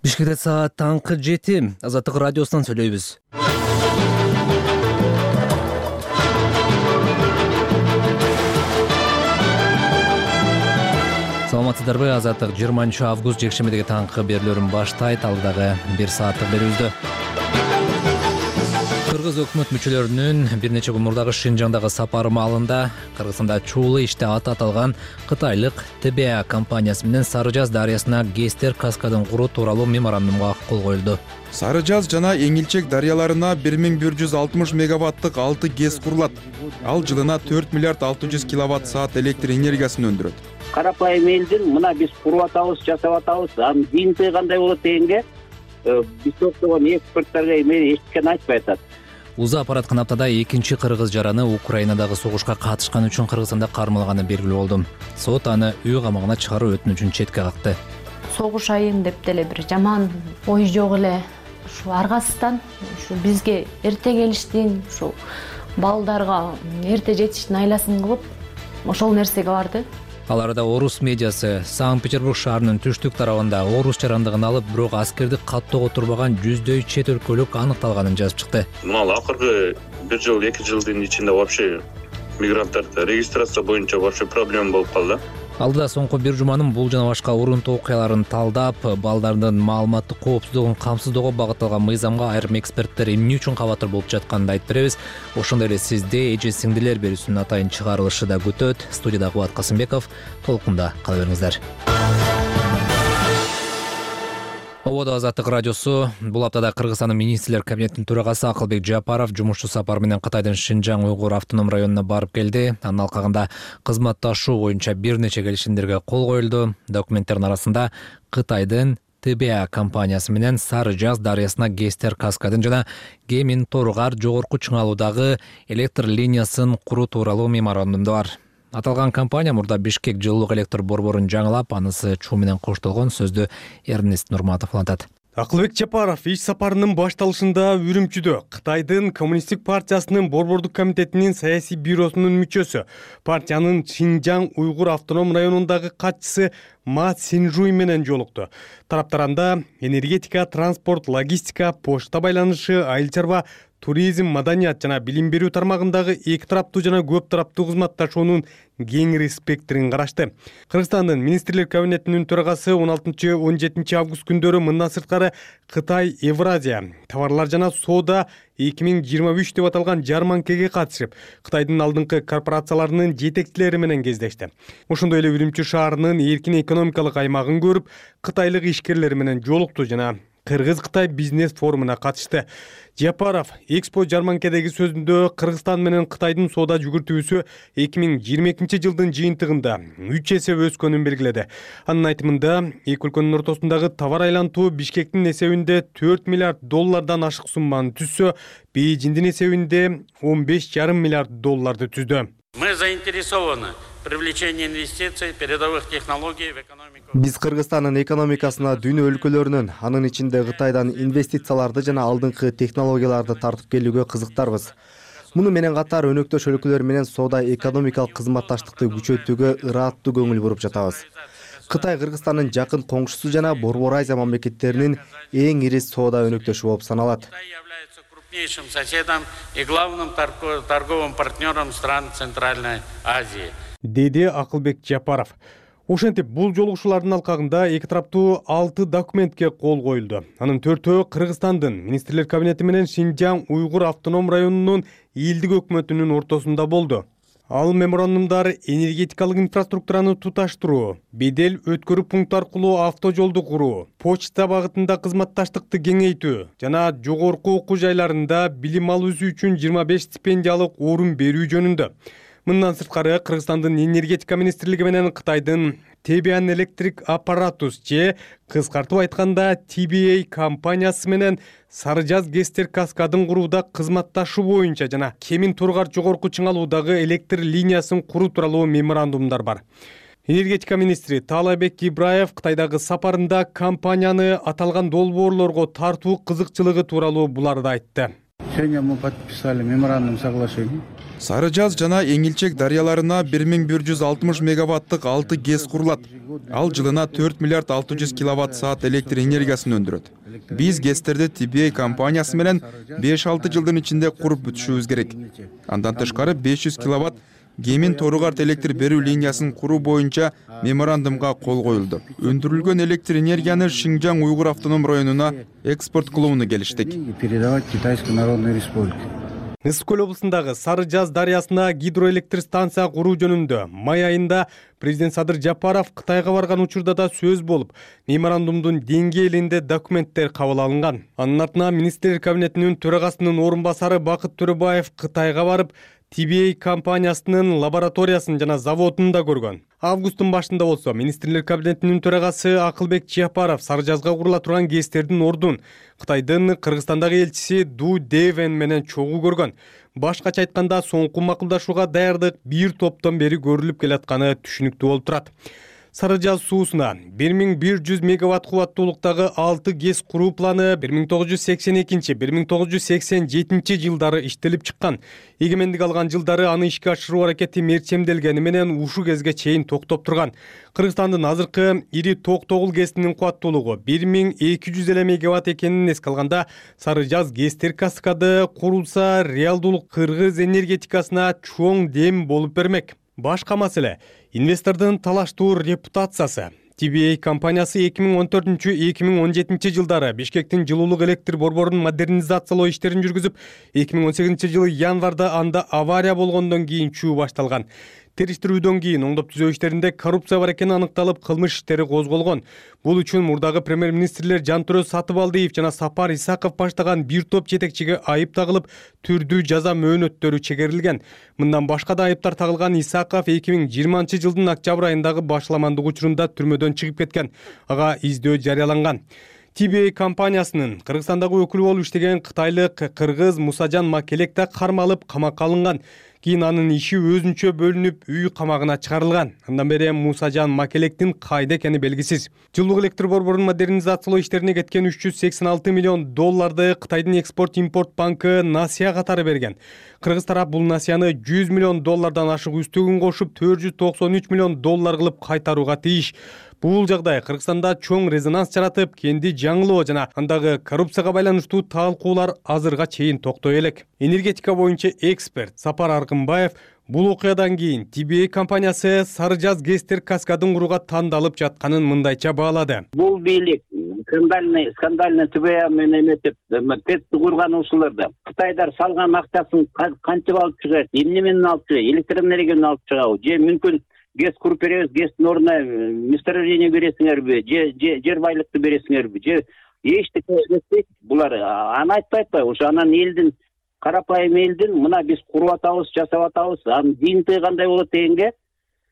Бишкекте саат таңкы 7. Азаттык радиосунан сүйлөйбүз. Саламатсыздарбы? Азаттык 20 август жекшембидеги таңкы берүүлөрүн баштайт. Алдагы 1 сааттык берүүбүздө Кыргыз өкмөт мүчөлөрүнүн бир нече күн мурдагы Шинжаңдагы сапары маалында Кыргызстанда чуулуу иште аты аталган кытайлык ТБА компаниясы менен Сары Жаз дарыясына ГЭСтер каскадын куруу тууралуу меморандумга кол коюлду. Сары Жаз жана Эңилчек дарыяларына 1160 мегаваттык 6 ГЭС курулат. Ал жылына 4 миллиард 600 киловатт саат электр энергиясын өндүрөт. Карапайым элдин мына биз куруп атабыз, жасап атабыз, анын жыйынтыгы кандай болот дегенге биз токтогон эксперттерге эч ким айтпай атат. Узап бараткан аптада экинчи кыргыз жараны Украинадагы согушка катышкан үчүн Кыргызстанда кармалганы белгилүү болду. Сот аны үй камагына чыгаруу өтүнүчүн четке какты. Согуш айын деп деле бир жаман ой жок эле. Ушу аргасыздан ушу бизге эрте келиштин, ушу балдарга эрте жетиштин айласын кылып, ошол нерсеге барды. Ал арада орус медиасы Санкт-Петербург шаарынын түштүк тарабында орус жарандыгын алып, бирок аскерди каттоого турбаган жүздөй чет өлкөлүк аныкталганын жазып чыкты. Мына акыркы 1 жыл, 2 жылдын ичинде вообще мигранттарды регистрация боюнча вообще проблема болуп калды. Алдыда соңку бир жуманын бул жана башка урунтуу окуяларын талдап, балдардын маалыматтык коопсуздугун камсыздоого багытталган мыйзамга айрым эксперттер эмне үчүн кабатыр болуп жатканын айтып беребиз. Ошондой эле сизде эже сиңдилер берүүсүнүн атайын чыгарылышы да күтөт. Студияда Кубат Касымбеков, толкунда кала бериңиздер. Ободо Азаттык радиосу. Бул аптада Кыргызстандын министрлер кабинетинин төрагасы Акылбек Жапаров жумушчу сапары менен Кытайдын Шинжаң уйгур автоном районуна барып келди. Анын алкагында кызматташуу боюнча бир нече келишимдерге кол коюлду. Документтердин арасында Кытайдын ТБА компаниясы менен Сары Жаз дарыясына ГЭСтер каскадын жана Кемин Торгар жогорку чыңалуудагы электр линиясын куруу тууралуу меморандумду бар. Аталган компания мурда Бишкек жылуулук электр борборун жаңылап, анысы чуу менен коштолгон. Сөздү Эрнест Нурматов улантат. Акылбек Жапаров иш сапарынын башталышында Үрүмчүдө Кытайдын Коммунисттик партиясынын борбордук комитетинин саясий бюросунун мүчөсү, партиянын Шинжаң уйгур автоном районундагы катчысы Ма Синжуй менен жолукту. Тараптар анда энергетика, транспорт, логистика, почта байланышы, айыл чарба, туризм, маданият жана билим берүү тармагындагы эки тараптуу жана көп тараптуу кызматташуунун кеңири спектрин карашты. Кыргызстандын министрлер кабинетинин төрагасы 16-17 август күндөрү мындан сырткары Кытай Евразия товарлар жана соода 2023 деп аталган жарманкеге катышып, Кытайдын алдыңкы корпорацияларынын жетекчилери менен кездешти. Ошондой эле Үрүмчү шаарынын эркин экономикалык аймагын көрүп, кытайлык ишкерлер менен жолукту жана Кыргыз-Кытай бизнес форумуна катышты. Жапаров Экспо жарманкедеги сөзүндө Кыргызстан менен Кытайдын соода жүгүртүүсү 2022 жылдын жыйынтыгында 3 эсе өскөнүн белгиледи. Анын айтымында, эки өлкөнүн ортосундагы товар айлантуу Бишкектин эсебинде 4 миллиард доллардан ашык сумманы түзсө, Бейжиңдин эсебинде 15,5 миллиард долларды түздү. Мы заинтересованы в привлечении инвестиций, передовых технологий в экономику. Биз Кыргызстандын экономикасына дүйнө өлкөлөрүнүн, анын ичинде Кытайдан инвестицияларды жана алдыңкы технологияларды тартып келүүгө кызыктарбыз. Муну менен катар өнөктөш өлкөлөр менен соода экономикалык кызматташтыкты күчөтүүгө ырааттуу көңүл буруп жатабыз. Кытай Кыргызстандын жакын коңшусу жана Борбор Азия мамлекеттеринин эң ири соода өнөктөшү болуп саналат. Крупнейшим соседом и главным торговым партнером стран Центральной Азии. Деди Акылбек Жапаров. Ошентип, бул жолугушуулардын алкагында эки тараптуу 6 документке кол коюлду. Анын 4-өө Кыргызстандын министрлер кабинети менен Шинжаң уйгур автоном районунун элдик өкмөтүнүн ортосунда болду. Ал меморандумдар энергетикалык инфраструктураны туташтыруу, бедел өткөрүү пункт аркылуу автожолду куруу, почта багытында кызматташтыкты кеңейтүү жана жогорку окуу жайларында билим алуусу үчүн 25 стипендиялык орун берүү жөнүндө. Мындан сырткары Кыргызстандын энергетика министрлиги менен Кытайдын Tebian Electric Apparatus же кыскартып айтканда TBA компаниясы менен Сары Жаз ГЭСтер каскадын курууда кызматташуу боюнча жана Кемин Торгар жогорку чыңалуудагы электр линиясын куруу тууралуу меморандумдар бар. Энергетика министри Таалайбек Ибраев Кытайдагы сапарында компанияны аталган долбоорлорго тартуу кызыкчылыгы тууралуу буларды айтты. Сегодня мы подписали меморандум соглашения. Сары Жаз жана Эңилчек дарыяларына 1160 мегаваттык 6 ГЭС курулат. Ал жылына 4 миллиард 600 киловатт саат электр энергиясын өндүрөт. Биз ГЭСтерди TBA компаниясы менен 5-6 жылдын ичинде куруп бүтүшүбүз керек. Андан тышкары 500 киловатт Гемин Торугарт электр берүү линиясын куруу боюнча меморандумга кол коюлду. Өндүрүлгөн электр энергияны Шинжаң Уйгур автоном районуна экспорт кылууну келиштик. Передавать Китайской Народной Республике. Ысык көл облусундагы Сары Жаз дарыясына гидроэлектр станция куруу жөнүндө май айында президент Садыр Жапаров Кытайга барган учурда да сөз болуп, меморандумдун деңгээлинде документтер кабыл алынган. Анын артынан министрлер кабинетинин төрагасынын орун басары Бакыт Төрөбаев Кытайга барып, TBA компаниясынын лабораториясын жана заводун да көргөн. Августтун башында болсо министрлер кабинетинин төрагасы Акылбек Жапаров Сары Жазга курула турган ГЭСтердин ордун Кытайдын Кыргызстандагы элчиси Ду Девен менен чогуу көргөн. Башкача айтканда, соңку макулдашууга даярдык бир топтон бери көрүлүп келатканы түшүнүктүү болуп турат. Сары Жаз суусуна 1100 мегаватт кубаттуулуктагы 6 ГЭС куруу планы 1982-1987 жылдары иштелип чыккан. Эгемендик алган жылдары аны ишке ашыруу аракети мерчемделгени менен ушу кезге чейин токтоп турган. Кыргызстандын азыркы ири токтогул ГЭСинин кубаттуулугу 1200 эле мегаватт экенин эске алганда, Сары Жаз ГЭСтер каскады курулса, реалдуулук кыргыз энергетикасына чоң дем болуп бермек. Башка маселе инвестордун талаштуу репутациясы. TBA компаниясы 2014-2017 жылдары Бишкектин жылуулук электр борборун модернизациялоо иштерин жүргүзүп, 2018 жылы январда анда авария болгондон кийин чуу башталган. Териштирүүдөн кийин оңдоп түзөө иштеринде коррупция бар экени аныкталып, кылмыш иштери козголгон. Бул үчүн мурдагы премьер-министрлер Жантөрө Сатыбалдиев жана Сапар Исаков баштаган бир топ жетекчиге айып тагылып, түрдүү жаза мөөнөттөрү чегерилген. Мындан башка да айыптар тагылган Исаков 2020 жылдын октябрь айындагы башламандык учурунда түрмөдөн чыгып кеткен. Ага издөө жарыяланган. TBA компаниясынын Кыргызстандагы өкүлү болуп иштеген кытайлык кыргыз Мусажан Макелек да кармалып, камакка алынган. Кийин анын иши өзүнчө бөлүнүп, үй камагына чыгарылган. Андан бери Мусажан Макелектин кайда экени белгисиз. Жылуулук электр борборун модернизациялоо иштерине кеткен 386 миллион долларды Кытайдын экспорт-импорт банкы насыя катары берген. Кыргыз тарап бул насыяны 100 миллион доллардан ашык үстөгүн кошуп, 493 миллион доллар кылып кайтарууга тийиш. Бул жагдай Кыргызстанда чоң резонанс жаратып, кенди жаңылоо жана андагы коррупцияга байланыштуу талкуулар азырга чейин токтой элек. Энергетика боюнча эксперт Сапар Аркынбаев бул окуядан кийин TBA компаниясы Сары Жаз ГЭСтер каскадын курууга тандалып жатканын мындайча баалады. Бул бийлик скандальный TBA менен эметип, ТЭЦти курган ушуларда Кытайдар салган акчасын кантип алып чыгат, эмне менен алып чыгат, электр энергияны алып чыгабы, же мүмкүн ГЭС куруп беребиз, ГЭСтин ордуна месторождение бересиңерби, жер байлыкты бересиңерби, же эчтеке эметпейт. Булар аны айтпайт атпайбы? Ошо анан элдин, карапайым элдин мына биз куруп атабыз, жасап атабыз, анын зыйынтыгы кандай болот дегенге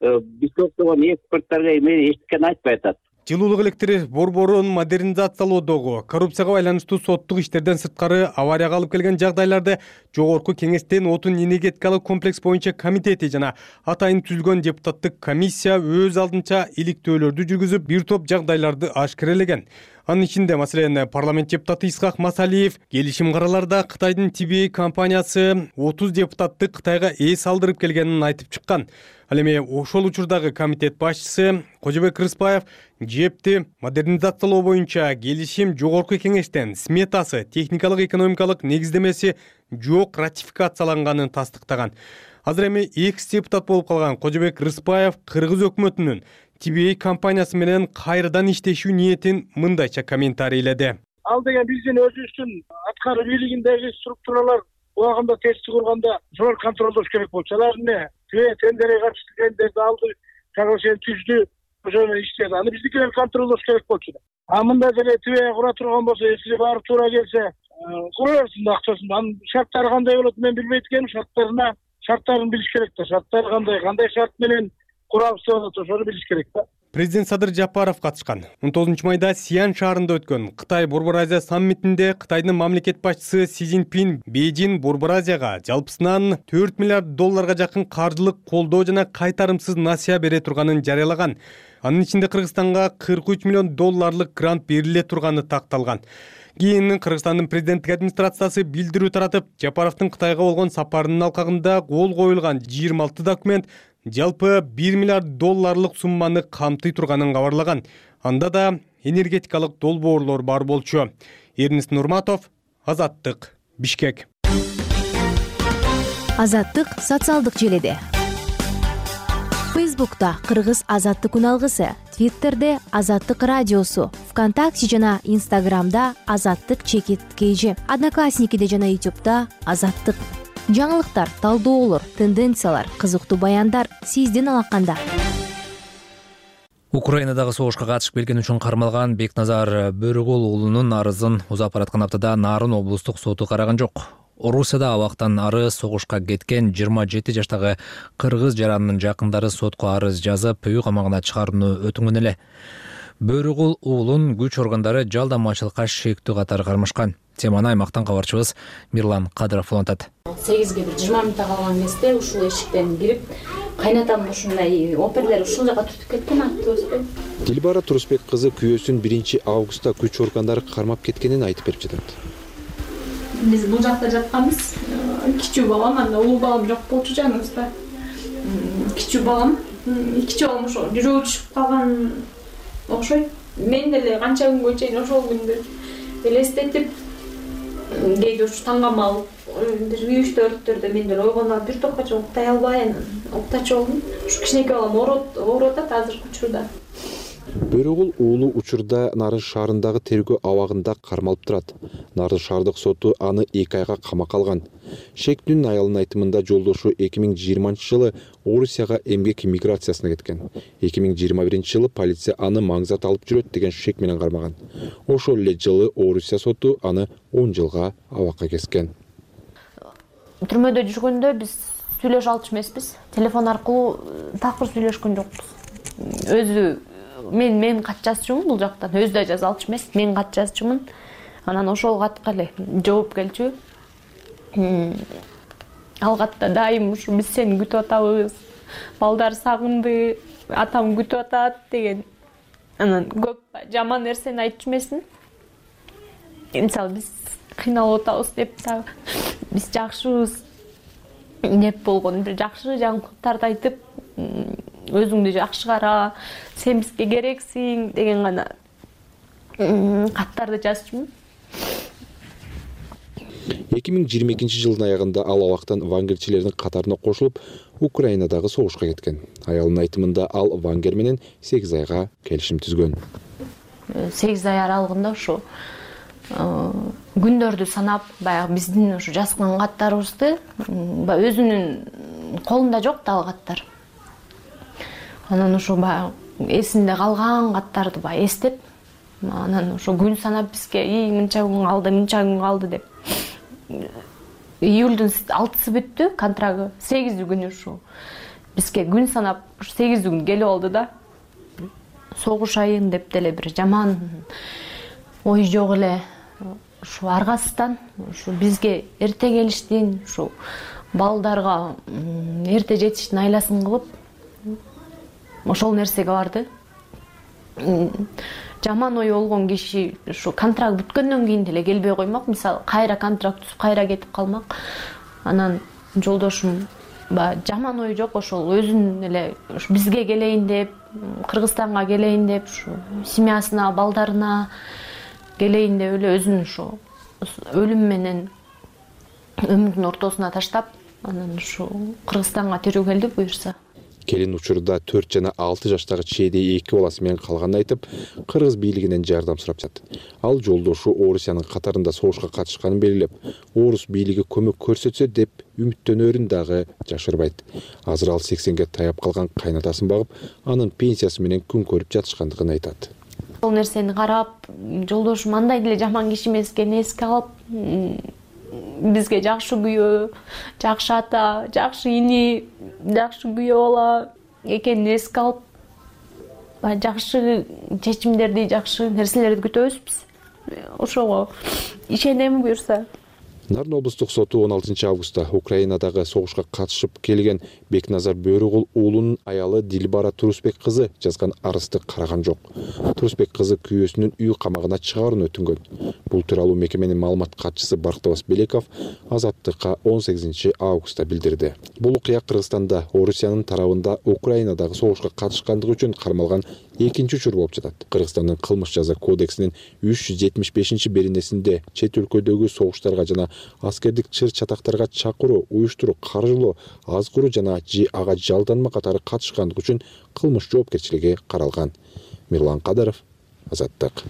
биз токтогон эксперттарга эчтекени айтпай атат. Жылуулук электр борборун модернизациялоодогу коррупцияга байланыштуу соттук иштерден сырткары аварияга алып келген жагдайларды Жогорку Кеңештин отун энергетикалык комплекс боюнча комитети жана атайын түзүлгөн депутаттык комиссия өз алдынча иликтөөлөрдү жүргүзүп, бир топ жагдайларды ашкерелеген. Анын ичинде, маселен, парламент депутаты Исхак Масалиев келишим караларда Кытайдын TBA компаниясы 30 депутатты Кытайга эс алдырып келгенин айтып чыккан. Ал эми ошол учурдагы комитет башчысы Кожобек Рыспаев ЖЭПти модернизациялоо боюнча келишим Жогорку Кеңештен сметасы, техникалык экономикалык негиздемеси жок ратификацияланганын тастыктаган. Азыр эми экс-депутат болуп калган Кожобек Рыспаев Кыргыз өкмөтүнүн TBA компаниясы менен кайрадан иштешүү ниетин мындайча комментарийледи. Ал деген биздин өзүбүздүн аткаруу бийлигиндеги структуралар убагында тестти курганда зор контролдош керек болчу. Алар эмне? Тендерге каршы тендерди алды, соглашение түздү, ошону иштеди. Аны биздикилер контролдош керек болчу. А мындай деле TBA кура турган болсо, эсиге барып туура келсе, кура берсин акчасын. Анын шарттары кандай болот мен билбейт экенмин. Шарттарын билиш керек да. Шарттары кандай шарт менен курабыз деп атат, ошону билиш керек да. Президент Садыр Жапаров катышкан. 19 майда Сиан шаарында өткөн Кытай Борбор Азия саммитинде Кытайдын мамлекет башчысы Си Цзиньпин Бейжин Борбор Азияга жалпысынан 4 миллиард долларга жакын каржылык колдоо жана кайтарымсыз насыя бере турганын жарыялаган. Анын ичинде Кыргызстанга $43 миллион грант бериле турганы такталган. Кийин Кыргызстандын президенттик администрациясы билдирүү таратып, Жапаровдун Кытайга болгон сапарынын алкагында кол коюлган 26 документ жалпы $1 миллиард сумманы камтый турганын кабарлаган. Анда да энергетикалык долбоорлор бар болчу. Эрнис Нурматов, Азаттык, Бишкек. Азаттык социалдык желеде. Фейсбукта Кыргыз Азаттык күн алгысы, Твиттерде Азаттык радиосу, ВКонтакте жана Инстаграмда Азаттык_KG, Одноклассникиде жана Ютубта Азаттык. Жаңылыктар, талдоолор, тенденциялар, кызыктуу баяндар сиздин алаканда. Украинадагы согушка катышып келген үчүн кармалган Бекназар Бөрөгул уулунун арызын узап бараткан аптада Нарын облустук соту караган жок. Орусияда абактан ары согушка кеткен 27 жаштагы кыргыз жаранынын жакындары сотко арыз жазып, үй камагына чыгарууну өтүнгөн эле. Бөрөгул уулун күч органдары жалдамачылыкка шектүү катары кармашкан. Теманы аймактан кабарчыбыз Мирлан Кадыров улантат. 8-ге 20 мүнөт калган кезде ушул эшиктен кирип, кайнатам ушундай оперлер ушул жака түртүп кеткен аттыбызбы. Дилбара Турусбек кызы күйөөсүн 1 августта күч органдары кармап кеткенин айтып берип жатат. Биз бул жакта жатканбыз. Кичүү балам, анда улуу балам жок болчу жаныбызда. Кичүү балам ошо жүрөгү түшүп калган окшойт. Мен деле канча күнгө чейин ошол күндү элестетип, кээде ушу таңгам алып, бир 3-4-төрдө мен деле ойгонуп бир топко чейин уктай албай, уктачу болдум. Ушу кичинекей балам ооруп атат азыркы учурда. Бөрөгул уулу учурда Нарын шаарындагы тергөө абагында кармалып турат. Нарын шаардык соту аны 2 айга камакка алган. Шектүүнүн аялынын айтымында жолдошу 2020 жылы Орусияга эмгек миграциясына кеткен. 2021 жылы полиция аны маңзат алып жүрөт деген шек менен кармаган. Ошол эле жылы Орусия соту аны 10 жылга абакка кескен. Түрмөдө жүргөндө биз сүйлөшө алчу эмеспиз. Телефон аркылуу такыр сүйлөшкөн жокпуз. Өзү мен кат жазчумун бул жактан, өзү да жаза алчу эмес, мен кат жазчумун. Анан ошол катка эле жооп келчү. Ал катта дайым ушу биз сени күтүп атабыз, балдар сагынды, атам күтүп атат деген. Анан көп жаман нерсени айтчу эмесмин. Мисалы биз кыйналып атабыз деп дагы, биз жакшыбыз деп болгон бир жакшы жаңылыктарды айтып, өзүңдү жакшы кара, сен бизге керексиң деген гана каттарды жазчумун. 2022 жылдын аягында ал абактан вангерчилердин катарына кошулуп, Украинадагы согушка кеткен. Аялынын айтымында ал вангер менен 8 айга келишим түзгөн. 8 ай аралыгында ушу күндөрдү санап, баягы биздин ушу жазган каттарыбызды өзүнүн колунда жок да ал каттар. Анан ушу баягы эсинде калган каттарды баягы эстеп, анан ушу күн санап бизге мынча күн калды деп. Июлдун 6-сы бүттү контрагы, 8 күнү ушу бизге күн санап 8 күн келип алды да. Согуш айын деп деле бир жаман ой жок эле. Ушу аргасыздан ушу бизге эрте келиштин, ушу балдарга эрте жетиштин айласын кылып, ошол нерсеге барды. Жаман ой болгон киши ушу контракт бүткөндөн кийин деле келбей коймок. Мисалы, кайра контракт түзүп, кайра кетип калмак. Анан жолдошум жаман ой жок, ошол өзүнүн эле бизге келейин деп, Кыргызстанга келейин деп, ушу семьясына, балдарына келейин деп эле өзүн ушу өлүм менен өмүрдүн ортосуна таштап, анан ушу Кыргызстанга тирүү келди буюрса. Келин учурда 4 жана 6 жаштагы чейдей 2 баласы менен калганын айтып, кыргыз бийлигинен жардам сурап жатат. Ал жолдошу Орусиянын катарында согушка катышканын белгилеп, орус бийлиги көмөк көрсөтсө деп үмүттөнөрүн дагы жашырбайт. Азыр ал 80ге таяп калган кайнатасын багып, анын пенсиясы менен күн көрүп жатышкандыгын айтат. Бул нерсени карап, жолдошум андай деле жаман киши эмес экенин эске алып, бизге жакшы күйөө, жакшы ата, жакшы ини, жакшы күйөө бала экенин эске алып, жакшы чечимдерди, жакшы нерселерди күтөбүз биз. Ошого ишенем буюрса. Нарын облустук соту 16 августта Украинадагы согушка катышып келген Бекназар Бөрөгул уулунун аялы Дилбара Турусбек кызы жазган арызды караган жок. Турусбек кызы күйөөсүнүн үй камагына чыгаруун өтүнгөн. Бул тууралуу мекеменин маалымат катчысы Бактыбас Белеков Азаттыкка 18 августта билдирди. Бул окуя Кыргызстанда Орусиянын тарабында Украинадагы согушка катышкандыгы үчүн кармалган экинчи учур болуп жатат. Кыргызстандын кылмыш жаза кодексинин 375-беренесинде чет өлкөдөгү согуштарга жана аскердик чыр-чатактарга чакыруу, уюштуруу, каржылоо, азгыруу жана ага жалданма катары катышкандыгы үчүн кылмыш жоопкерчилиги каралган. Мирлан Кадаров, Азаттык.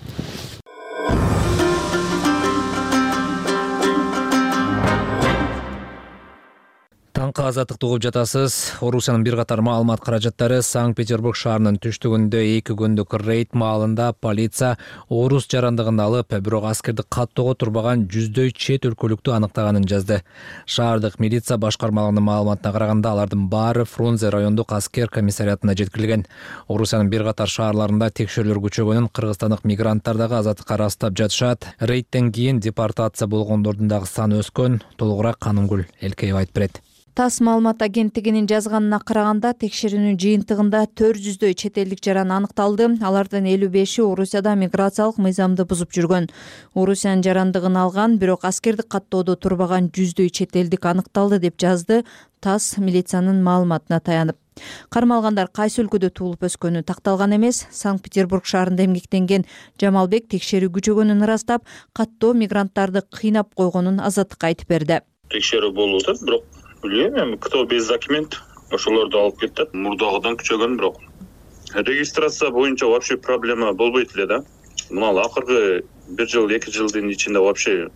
Таңкы Азаттыкты угуп жатасыз. Орусиянын бир катар маалымат каражаттары Санкт-Петербург шаарынын түштүгүндө 2 күндүк рейд маалында полиция орус жарандыгын алып, бирок аскерди каттоого турбаган 100дөй чет өлкөлүктү аныктаганын жазды. Шаардык милиция башкармалыгынын маалыматына караганда, алардын баары Фрунзе райондук аскер комиссариатына жеткирилген. Орусиянын бир катар шаарларында текшерүүлөр күчөгөнүн кыргызстандык мигранттар дагы Азаттыкка ырастап жатышат. Рейдтен кийин депортация болгондордун дагы саны өскөн. Толугураак Канымгүл Элкеева айтып берет. ТАСС маалымат агенттигинин жазганына караганда, текшерүүнүн жыйынтыгында 400дөй чет элдик жаран аныкталды. Алардын 55-и Орусияда миграциялык мыйзамды бузуп жүргөн. Орусиянын жарандыгын алган, бирок аскердик каттоодо турбаган 100дөй чет элдик аныкталды деп жазды ТАСС милициянын маалыматына таянып. Кармалгандар кайсы өлкөдө туулуп өскөнү такталган эмес. Санкт-Петербург шаарында эмгектенген Жамалбек текшерүү күчөгөнүн ырастап, каттоо мигранттарды кыйнап койгонун Азаттыкка айтып берди. Текшерүү болуп атат, бирок билбейм, кто без документ ошолорду алып кетет. Мурдагыдан күчөгөн, бирок регистрация боюнча вообще проблема болбойт эле да. Мына акыркы 1 жыл, 2 жылдын ичинде вообще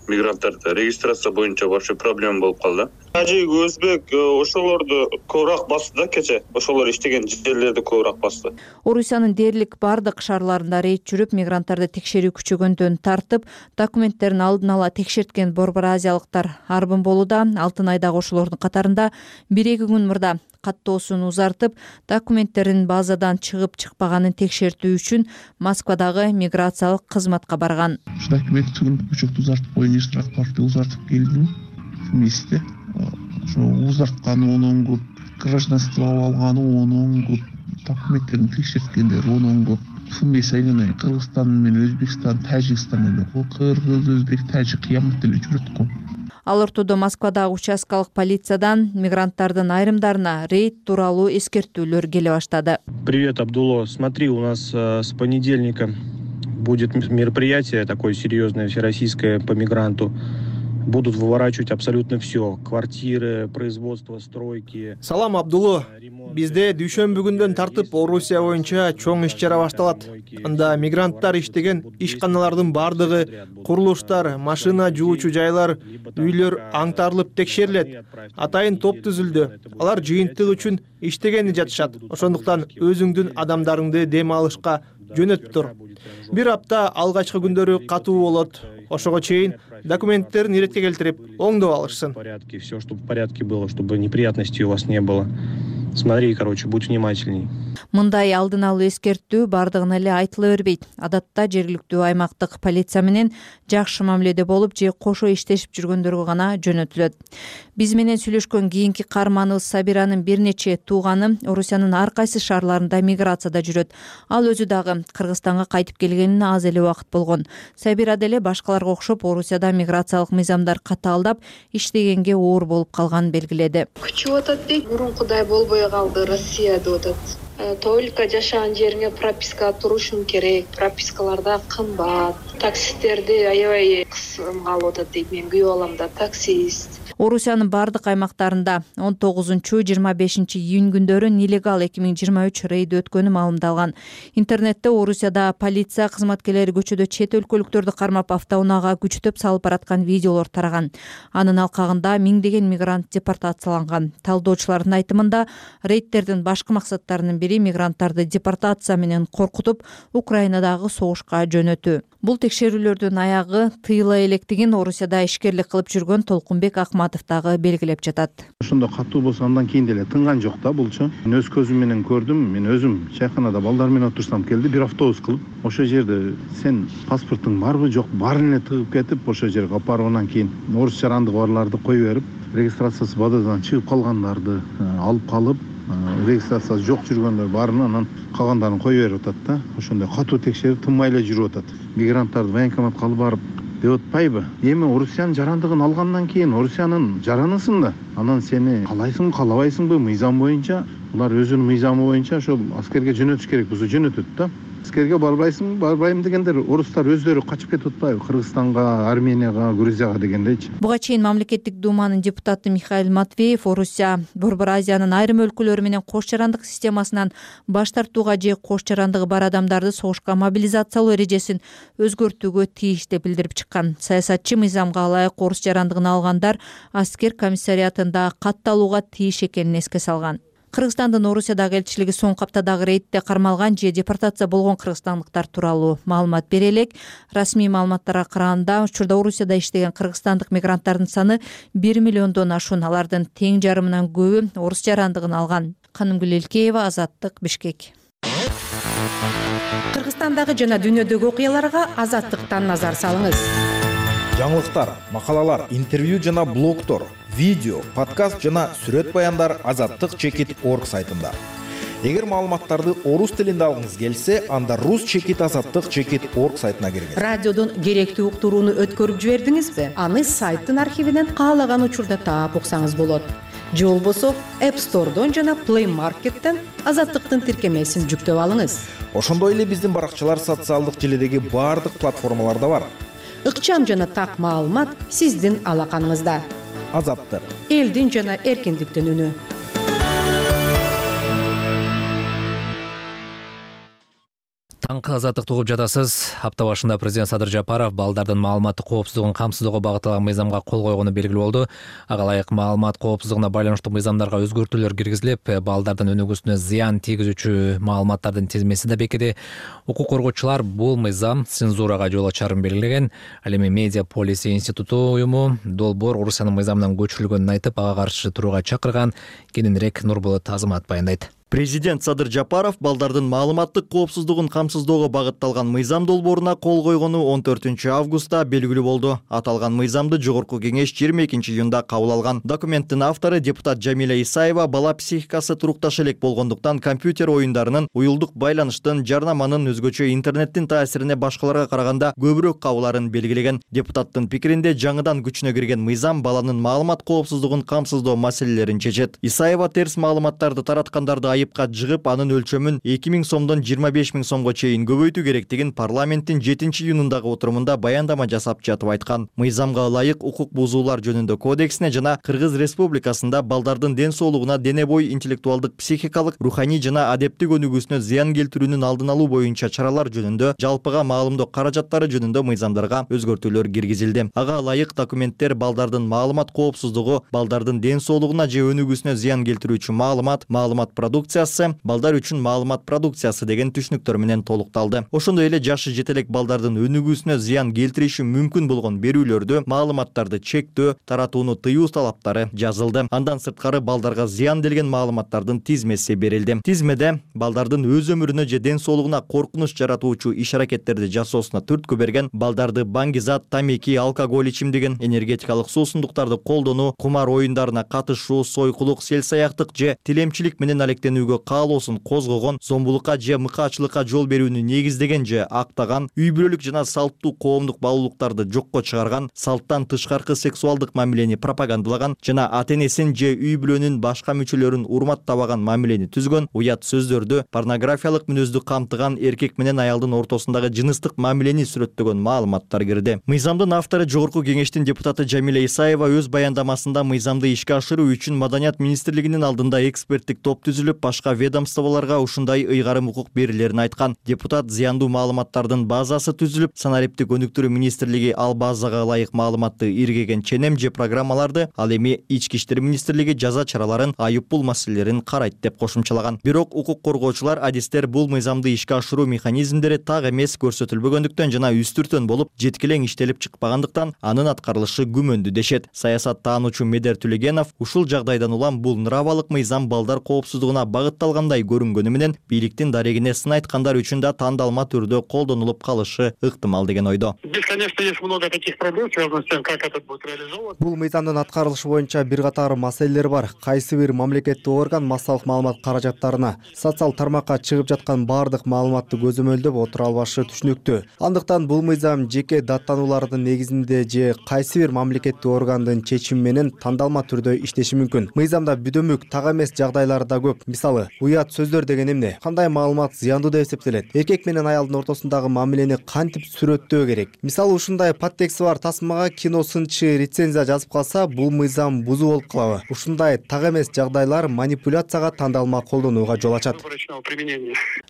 мигранттарда регистрация боюнча вообще проблема болуп калды. Тажик, өзбек ошолорду көбүрөөк басты да кече. Ошолор иштеген жерлерди көбүрөөк басты. Орусиянын дээрлик бардык шаарларында рейд жүрүп, мигранттарды текшерүү күчөгөндөн тартып, документтерин алдын ала текшерткен Борбор Азиялыктар арбын болууда. Алтын айдагы ошолордун катарында 1-2 күн мурда каттоосун узартып, документтерин базадан чыгып-чыкпаганын текшертүү үчүн Москвадагы миграциялык кызматка барган. Документтин учету узартып коюн, паспорту узартып келдим вместе. Узарткан онун көп, гражданство алган онун көп, документтерин текшерткендер онун көп. Вместе айнай Кыргызстан менен Өзбекстан, Тажикстан эле. Кыргыз, Өзбек, Тажик кыямат эле жүрөт го. Ал ортодо Москвадагы участкалык полициядан мигранттардын айрымдарына рейд тууралуу эскертүүлөр келе баштады. Привет, Абдулло. Смотри, у нас с понедельника будет мероприятие такое серьезное, всероссийское по мигранту. Будут выворачивать абсолютно все. Квартиры, производство, стройки. Салам, Абдулло. Бизде дүйшөмбү күндөн тартып Орусия боюнча чоң иш-чара башталат. Анда мигранттар иштеген ишканалардын бардыгы, курулуштар, машина жуучу жайлар, үйлөр аңтарылып текшерилет. Атайын топ түзүлдү. Алар жыйынтык үчүн иштегени жатышат. Ошондуктан өзүңдүн адамдарыңды дем алышка жөнөтүп тур. Бир апта алгачкы күндөрү катуу болот. Ошого чейин документтерин иретке келтирип, оңдоп алышсын. Все, чтобы в порядке было, чтобы неприятностей у вас не было. Смотри, короче, будь внимательней. Мындай алдын алуу эскертүү бардыгына эле айтыла бербейт. Адатта жергиликтүү аймактык полиция менен жакшы мамиледе болуп же кошо иштешип жүргөндөргө гана жөнөтүлөт. Биз менен сүйлөшкөн кийинки каарманыбыз Сабиранын бир нече тууганы Орусиянын ар кайсы шаарларында миграцияда жүрөт. Ал өзү дагы Кыргызстанга кайтып келгенине аз эле убакыт болгон. Сабира деле башкаларга окшоп Орусияда миграциялык мыйзамдар катаалдап, иштегенге оор болуп калганын белгиледи. Күчүп атат дейт, мурункудай болбой калды, Россияда атат. Только жашаган жериңе прописка турушуң керек. Пропискаларда кымбат. Таксисттерди аябай кысым калып атат дейт. Мен күйөө алам да, таксист. Орусиянын бардык аймактарында 19-25 июнь күндөрү нелегал 2023 рейд өткөнү маалымдалган. Интернетте Орусияда полиция кызматкерлери көчөдө чет өлкөлүктөрдү кармап автоунаага күчтөп салып бараткан видеолор тараган. Анын алкагында миңдеген мигрант депортацияланган. Талдоочулардын айтымында рейдтердин башкы максаттарынын бири мигранттарды депортация менен коркутуп Украинадагы согушка жөнөтүү. Бул текшерүүлөрдүн аягы тыйыла электигин Орусияда ишкерлик кылып жүргөн Толкунбек Акматов дагы белгилеп жатат. Ошондо катуу болсо андан кийин деле тынган жок да булчу. Мен өз көзүм менен көрдүм. Мен өзүм чайканада балдар менен отурсам келди, бир автобус кылып. Ошол жерде сен паспортуң барбы, жок, баарын эле тыгып кетип, ошол жерге алып барып анан кийин орус жарандыгы барларды кое берип, регистрациясы бададан чыгып калгандарды алып калып, регистрациясы жок жүргөндөр баарын анан калгандарын кое берип атат да. Ошондой катуу текшерип тынмай эле жүрүп атат. Мигранттарды военкоматка алып барып деп атпайбы? Эми Орусиянын жарандыгын алгандан кийин Орусиянын жаранысың да. Анан сени каалайсың, каалабайсыңбы мыйзам боюнча, улар өзүнүн мыйзамы боюнча ошол аскерге жөнөтүш керек болсо жөнөтөт да. Аскерге барбайсың, барбайм дегендер орустар өздөрү качып кетип атпайбы? Кыргызстанга, Арменияга, Грузияга дегендейчи. Буга чейин мамлекеттик думанын депутаты Михаил Матвеев Орусия Борбор Азиянын айрым өлкөлөрү менен кош жарандык системасынан баш тартууга же кош жарандыгы бар адамдарды согушка мобилизациялоо эрежесин өзгөртүүгө тийиш деп билдирип чыккан. Саясатчы мыйзамга ылайык орус жарандыгын алгандар аскер комиссариатында катталууга тийиш экенин эске салган. Кыргызстандын Орусиядагы элчилиги соңку аптадагы рейдте кармалган же депортация болгон кыргызстандыктар тууралуу маалымат бере элек. Расмий маалыматтарга караганда, учурда Орусияда иштеген кыргызстандык мигранттардын саны 1 миллиондон ашуун. Алардын тең жарымынан көбү орус жарандыгын алган. Канымгүл Элкеева, Азаттык, Бишкек. Кыргызстандагы жана дүйнөдөгү окуяларга Азаттыктан назар салыңыз. Жаңылыктар, макалалар, интервью жана блогтор, видео, подкаст жана сүрөт баяндар azattik.org сайтында. Эгер маалыматтарды орус тилинде алгыңыз келсе, анда rus.azattik.org сайтына киргиз. Радиодон керектүү уктурууну өткөрүп жибердиңизби? Аны сайттын архивинен каалаган учурда таап уксаңыз болот. Же болбосо App Store'дон жана Play Market'тен Азаттыктын тиркемесин жүктөп алыңыз. Ошондой эле биздин баракчалар социалдык желедеги баардык платформаларда бар. Ыкчам жана так маалымат сиздин алаканыңызда. Азаттык. Элдин жана эркиндиктин үнү. Таңкы азаттыкты угуп жатасыз. Апта башында президент Садыр Жапаров балдардын маалыматтык коопсуздугун камсыздоого багытталган мыйзамга кол койгону белгилүү болду. Ага ылайык маалымат коопсуздугуна байланыштуу мыйзамдарга өзгөртүүлөр киргизилип, балдардын өнүгүүсүнө зыян тийгизүүчү маалыматтардын тизмеси да бекиди. Укук коргоочулар бул мыйзам цензурага жол ачарын белгилеген. Ал эми Медиа Полиси институту уюму долбоор Орусиянын мыйзамынан көчүрүлгөнүн айтып, ага каршы турууга чакырган. Кененирээк Нурбулат Азамат баяндайт. Президент Садыр Жапаров балдардын маалыматтык коопсуздугун камсыздоого багытталган мыйзам долбооруна кол койгону 14 августта белгилүү болду. Аталган мыйзамды жогорку кеңеш 22 июнда кабыл алган. Документтин автору депутат Жамиля Исаева бала психикасы турукташа элек болгондуктан компьютер оюндарынын, уюлдук байланыштын, жарнаманын, өзгөчө интернеттин таасирине башкаларга караганда көбүрөөк кабыларын белгилеген. Депутаттын пикиринде жаңыдан күчүнө кирген мыйзам баланын маалымат коопсуздугун камсыздоо маселелерин чечет. Исаева терс маалыматтарды тараткандарды айыпка жыгып, анын өлчөмүн 2000 сомдон 25 000 сомго чейин көбөйтүү керектигин парламенттин 7-июнундагы отурумунда баяндама жасап жатып айткан. Мыйзамга ылайык укук бузуулар жөнүндө кодексине жана Кыргыз Республикасында балдардын ден соолугуна, дене бой, интеллектуалдык, психикалык, руханий жана адептик өнүгүүсүнө зыян келтирүүнүн алдын алуу боюнча чаралар жөнүндө, жалпыга маалымдоо каражаттары жөнүндө мыйзамдарга өзгөртүүлөр киргизилди. Ага ылайык документтер балдардын маалымат коопсуздугу, балдардын ден соолугуна же өнүгүүсүнө зыян келтирүүчү маалымат продукциясы, балдар үчүн маалымат продукциясы деген түшүнүктөр менен толукталды. Ошондой эле жашы жетелек балдардын өнүгүүсүнө зыян келтириши мүмкүн болгон берүүлөрдү, маалыматтарды чектөө, таратууну тыюу талаптары жазылды. Андан сырткары балдарга зыян делген маалыматтардын тизмеси берилди. Тизмеде балдардын өз өмүрүнө же ден соолугуна коркунуч жаратуучу иш-аракеттерди жасоосуна түрткү берген, балдарды баңгизат, тамеки, алкоголь ичимдигин, энергетикалык суусундуктарды колдонуу, кумар оюндарына катышуу, сойкулук, селсаяктык же тилемчилик менен алектенүүгө каалоосун козгогон, зомбулукка же мыкаачылыкка жол берүүнү негиздеген же актаган, үй бүлөлүк жана салттуу коомдук баалуулуктарды жокко чыгарган, салттан тышкаркы сексуалдык мамилени пропагандалаган жана ата-энесин же үй бүлөнүн башка мүчөлөрүн урматтабаган мамилени түзгөн, уят сөздөрдү, порнографиялык мүнөздү камтыган, эркек менен аялдын ортосундагы жыныстык мамилени сүрөттөгөн маалыматтар кирди. Мыйзамдын автору жогорку кеңештин депутаты Жамиля Исаева өз баяндамасында мыйзамды ишке ашыруу үчүн Маданият министрлигинин алдында эксперттик топ түзүлүп, башка ведомстволорго ушундай ыйгарым укук берилерин айткан. Депутат зыяндуу маалыматтардын базасы түзүлүп, санариптик өнүктүрүү министрлиги ал базага ылайык маалыматты иргеген ченем же программаларды, ал эми Ички иштер министрлиги жаза чараларын, айыппул маселелерин карайт деп кошумчалаган. Бирок укук коргоочулар адистер бул мыйзамды ишке ашыруу механизмдери так эмес көрсөтүлбөгөндүктөн жана үстүртөн болуп, жеткилең иштелип чыкпагандыктан анын аткарылышы күмөндүү дешет. Саясаттаануучу Медер Түлегенов ушул жагдайдан улам бул нырабалык мыйзам балдар коопсуздугуна багытталгандай көрүнгөнү менен бийликтин дарегине сын айткандар үчүн да тандалма түрдө колдонулуп калышы ыктымал деген ойдо. Конечно, есть много таких проблем, связанных с тем, как это будет реализовано. Бул мыйзамдын аткарылышы боюнча бир катар маселелер бар. Кайсы бир мамлекеттик орган массалык маалымат каражаттарына, социал тармакка чыгып жаткан бардык маалыматты көзөмөлдөп отура албашы түшүнүктүү. Андыктан бул мыйзам жеке даттануулардын негизинде же кайсы бир мамлекеттик органдын чечими менен тандалма түрдө иштеши мүмкүн. Мыйзамда бүдөмүк так эмес жагдайлар да көп. Мисалы, уят сөздөр деген эмне? Кандай маалымат зыяндуу деп эсептелет? Эркек менен аялдын ортосундагы мамилени кантип сүрөттөө керек? Мисалы, ушундай подтексти бар тасмага кино сынчы рецензия жазып калса, бул мыйзам бузуу болуп калабы? Ушундай так эмес жагдайлар манипуляцияга тандалма колдонууга жол ачат.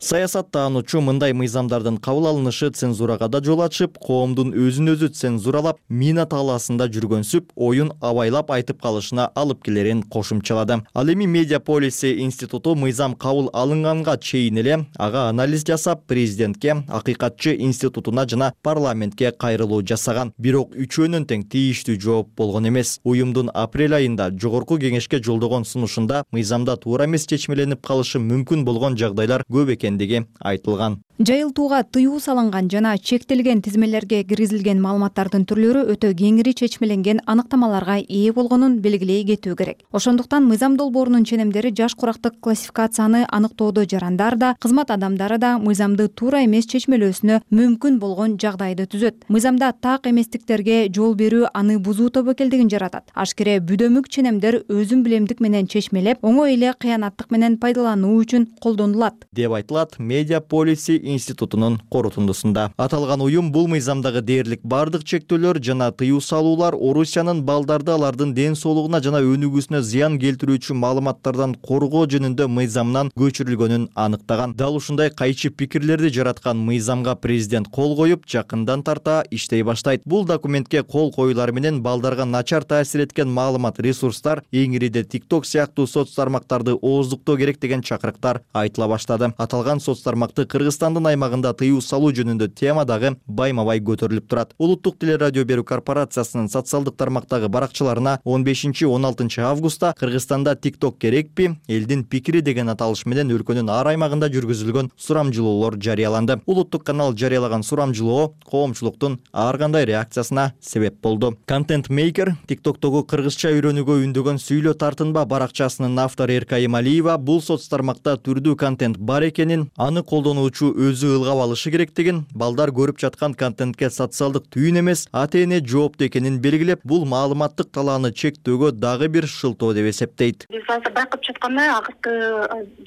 Саясаттаануучу мындай мыйзамдардын кабыл алынышы цензурага да жол ачып, коомдун өзүн өзү цензуралап, мина талаасында жүргөнсүп, оюн абайлап айтып калышына алып келерин кошумчалады. Ал эми Медиа Policy институту мыйзам кабыл алынганга чейин эле ага анализ жасап, президентке, акыйкатчы институтуна жана парламентке кайрылуу жасаган. Бирок үчөөнүн тең тийиштүү жооп болгон эмес. Уюмдун апрель айында жогорку кеңешке жолдогон сунушунда мыйзамда туура эмес чечмеленип калышы мүмкүн болгон жагдайлар көп экендиги айтылган. Жайылтууга тыюу салынган жана чектелген тизмелерге киргизилген маалыматтардын түрлөрү өтө кеңири чечмеленген аныктамаларга ээ болгонун белгилей кетүү керек. Ошондуктан мыйзам долбоорунун ченемдери жаш курактык классификацияны аныктоодо жарандар да, кызмат адамдары да мыйзамды туура эмес чечмелөөсүнө мүмкүн болгон жагдайды түзөт. Мыйзамда так эместиктерге жол берүү аны бузуу тобокелдигин жаратат. Ашкере бүдөмүк ченемдер өзүн билемдик менен чечмелеп, оңой эле кыянаттык менен пайдалануу үчүн колдонулат деп айтылат Медиа Policy институтунун корутундусунда. Аталган уюм бул мыйзамдагы дээрлик бардык чектөөлөр жана тыюу салуулар Орусиянын балдарды алардын ден соолугуна жана өнүгүүсүнө зыян келтирүүчү маалыматтардан коргоо жөнүндө мыйзамнан көчүрүлгөнүн аныктаган. Дал ушундай кайчы пикирлерди жараткан мыйзамга президент кол коюп, жакындан тарта иштей баштайт. Бул документке кол коюулар менен балдарга начар таасир эткен маалымат ресурстар, эңириде TikTok сыяктуу соц тармактарды ооздуктоо керек деген чакырыктар айтыла баштады. Аталган соц тармакты Кыргызстандын аймагында тыюу салуу жөнүндө тема дагы байма-бай көтөрүлүп турат. Улуттук телерадио берүү корпорациясынын социалдык тармактагы баракчаларына 15-16 августта Кыргызстанда TikTok керекпи, элдин пикири деген аталыш менен өлкөнүн ар аймагында жүргүзүлгөн сурамжылоолор жарыяланды. Улуттук канал жарыялаган сурамжылоо коомчулуктун ар кандай реакциясына себеп болду. Content Maker TikToктогу кыргызча үйрөнүүгө үндөгөн Сүйлө тартынба баракчасынын автору Эркай Эмалиева бул соц тармакта түрдүү контент бар экенин, аны колдонуучу өзү ылгап алышы керектигин, балдар көрүп жаткан контентке социалдык түйүн эмес, ата-эне жооптуу экенин белгилеп, бул маалыматтык талааны чектөөгө дагы бир шылтоо деп эсептейт. Биз азыр байкап жаткандай акыркы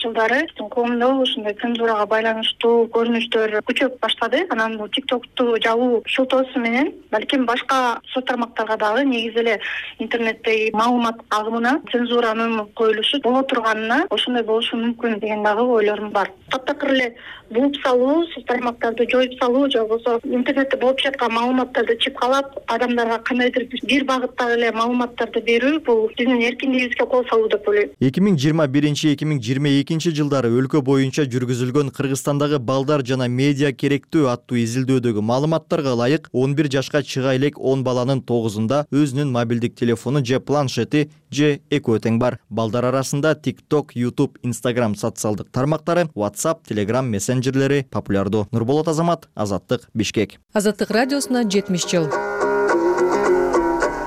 жылдары коомдо ушундай цензурага байланыштуу көрүнүштөр күчөп баштады. Анан бул TikToкту жабуу шылтоосу менен балким башка соц тармактарга дагы негизи эле интернеттеги маалымат агымына цензуранын коюлушу боло турганына ошондой болушу мүмкүн деген дагы ойлорум бар. Таптакыр эле бууп салуу, соц тармактарды жоюп салуу же болбосо интернетте болуп жаткан маалыматтарды чыпкалап, адамдарга кандайдыр бир багыттагы эле маалыматтарды берүү бул биздин эркиндигибизге кол салуу деп ойлойм. 2021-2022 жылдары өлкө боюнча жүргүзүлгөн Кыргызстандагы балдар жана медиа керектүү аттуу изилдөөдөгү маалыматтарга ылайык 11 жашка чыга элек 10 баланын 9-ында өзүнүн мобилдик телефону же планшети же экөө тең бар. Балдар арасында TikTok, YouTube, Instagram социалдык тармактары, WhatsApp, Telegram мессенджерлери популярдуу. Нурболот Азамат, Азаттык, Бишкек. Азаттык радиосуна 70 жыл.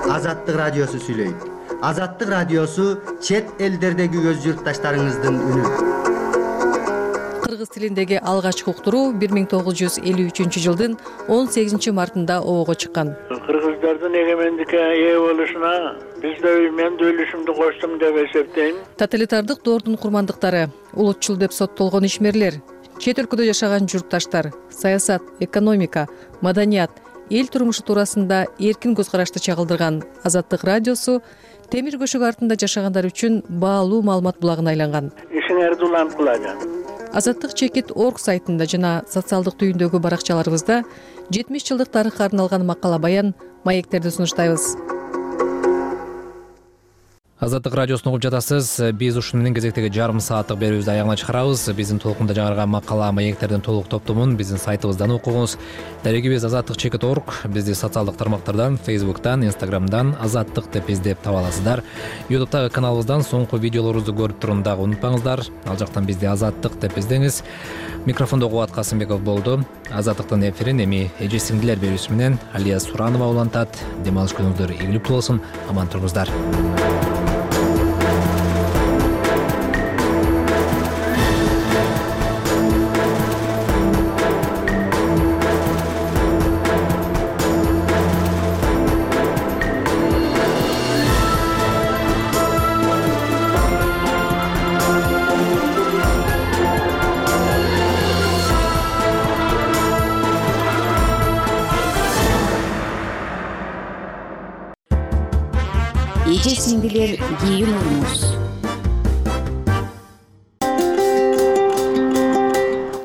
Азаттык радиосу сүйлөйт. Азаттык радиосу чет элдердеги өз журтташтарыңыздын үнү. Кыргыз тилиндеги алгачкы уктуруу 1953 жылдын 18 мартында обого чыккан. Кыргыздардын эгемендикке ээ болушуна мен да үлүшүмдү коштум деп эсептейм. Тоталитардык доордун курмандыктары, улутчул деп соттолгон ишмерлер, чет өлкөдө жашаган журтташтар, саясат, экономика, маданият, эл турмушу туурасында эркин көз карашты чагылдырган Азаттык радиосу темир көшөгү артында жашагандар үчүн баалуу маалымат булагына айланган. Ишиңерди уланткылаган. Азаттык чекит орг сайтында жана социалдык түйүндөгү баракчаларыбызда 70 жылдык тарыхка арналган макала баян, маектерди сунуштайбыз. Азаттык радиосун угуп жатасыз. Биз ушуну менен кезектеги жарым сааттык берүүбүздү аягына чыгарабыз. Биздин толкунда жаңырган макала, маектердин толук топтомун биздин сайтыбыздан окуңуз. Дарегибиз azattikchekit.org. Бизди социалдык тармактардан, Facebook'tan, Instagram'dan azаттык деп издеп таба аласыздар. YouTube'дагы каналыбыздан соңку видеолорубузду көрүп турууну дагы унутпаңыздар. Ал жактан бизди азаттык деп издеңиз. Микрофондо Кубат Касымбеков болду. Азаттыктын эфирин эми эже сиңдилер берүүсү менен Алия Суранова улантат. Дем алыш күнүңүздөр ийгиликтүү болсун. Аман туруңуздар. Эже сиңдилер кийинүүбүз.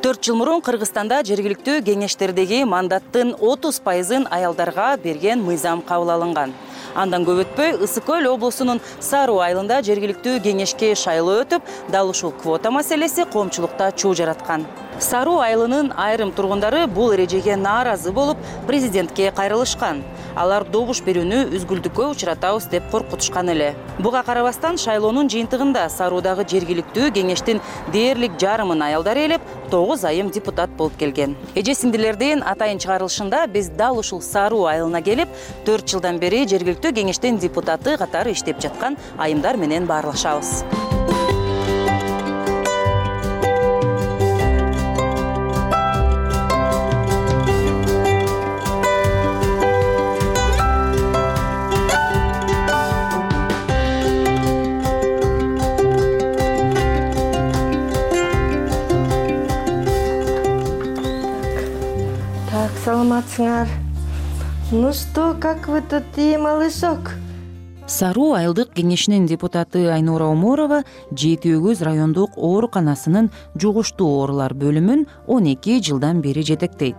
4 жыл мурун Кыргызстанда жергиликтүү кеңештердеги мандаттын 30%-ын аялдарга берген мыйзам кабыл алынган. Андан көп өтпөй Ысык Көл облусунун Саруу айылында жергиликтүү кеңешке шайлоо өтүп, дал ушул квота маселеси коомчулукта чуу жараткан. Саруу айылынын айрым тургундары бул эрежеге нааразы болуп, президентке кайрылышкан. Алар добуш берүүнү үзгүлтүккө учуратабыз деп коркутушкан эле. Буга карабастан шайлоонун жыйынтыгында Саруудагы жергиликтүү кеңештин дээрлик жарымын аялдар ээлеп, 9 айым депутат болуп келген. Эже сиңдилердин атайын чыгарылышында биз дал ушул Саруу айылына келип, 4 жылдан бери жергиликтүү кеңештин депутаты катары иштеп жаткан айымдар менен баарлашабыз. Саламатсыңар. Ну что, как вы тут, малышок? Саруу айылдык кеңешинин депутаты Айнура Оморова 7 райондук ооруканасынын жугуштуу оорулар бөлүмүн 12 жылдан бери жетектейт.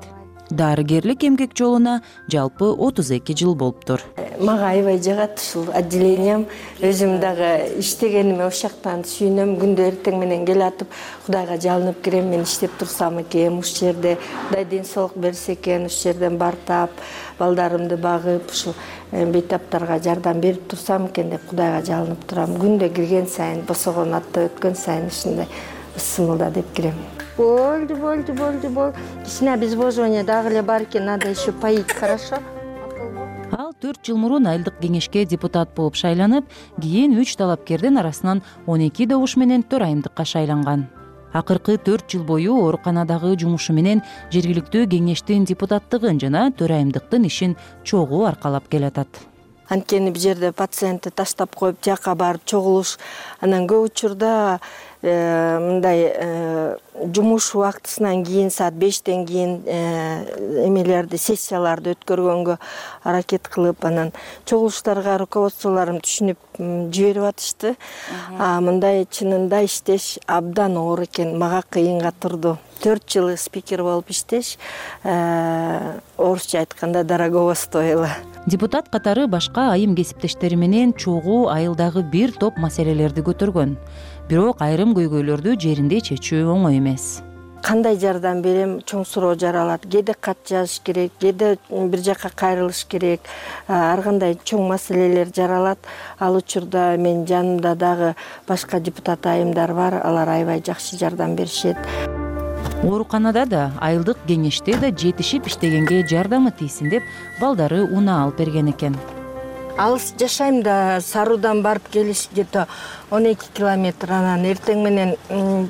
Дарыгерлик эмгек жолуна жалпы 32 жыл болуптур. Мага аябай жагат ушул отделениям. Өзүм дагы иштегениме ошол жактан сүйүнөм. Күндө эртең менен келатып, Кудайга жалынып кирем. Мен иштеп турсам экен, ушул жерде Кудай ден соолук берсе экен, ушул жерден бартап, балдарымды багып, ушул бейтаптарга жардам берип турсам экен деп Кудайга жалынып турам. Күндө кирген сайын, босогон атта өткөн сайын ушундай ысымылда деп кирем. Болды. Кичине обезвоживание дагы эле бар экен, надо еще поить, хорошо? Ал 4 жыл мурун айылдык кеңешке депутат болуп шайланып, кийин 3 талапкердин арасынан 12 добуш менен төрайымдыкка шайланган. Акыркы 4 жыл бою ооруканадагы жумушу менен жергиликтүү кеңештин депутаттыгын жана төрайымдыктын ишин чогуу аркалап келатат. Анткени бул жерде пациентти таштап коюп, жака барып чогулуш, анан көп учурда мындай жумуш убактысынан кийин саат 5тен кийин эмелерди, сессияларды өткөргөнгө аракет кылып, анан чогулуштарга руководстволорум түшүнүп жиберип атышты. Мындай чынында иштеш абдан оор экен, мага кыйынга турду. 4 жыл спикер болуп иштеш, орусча айтканда дорогого стоило. Депутат катары башка айым кесиптештери менен чогуу айылдагы бир топ маселелерди көтөргөн. Бирок айрым көйгөйлөрдү жеринде чечүү оңой эмес. Кандай жардам берем, чоң суроо жаралат. Кээде кат жазыш керек, кээде бир жакка кайрылыш керек. Ар кандай чоң маселелер жаралат. Ал учурда мен жанымда дагы башка депутат айымдар бар, алар аябай жакшы жардам беришет. Ооруканада да, айылдык кеңеште да жетишип иштегенге жардамы тийсин деп балдары унаа алып берген экен. Алыс жашайм да, Саруудан барып келиш где-то 12 километр. Анан эртең менен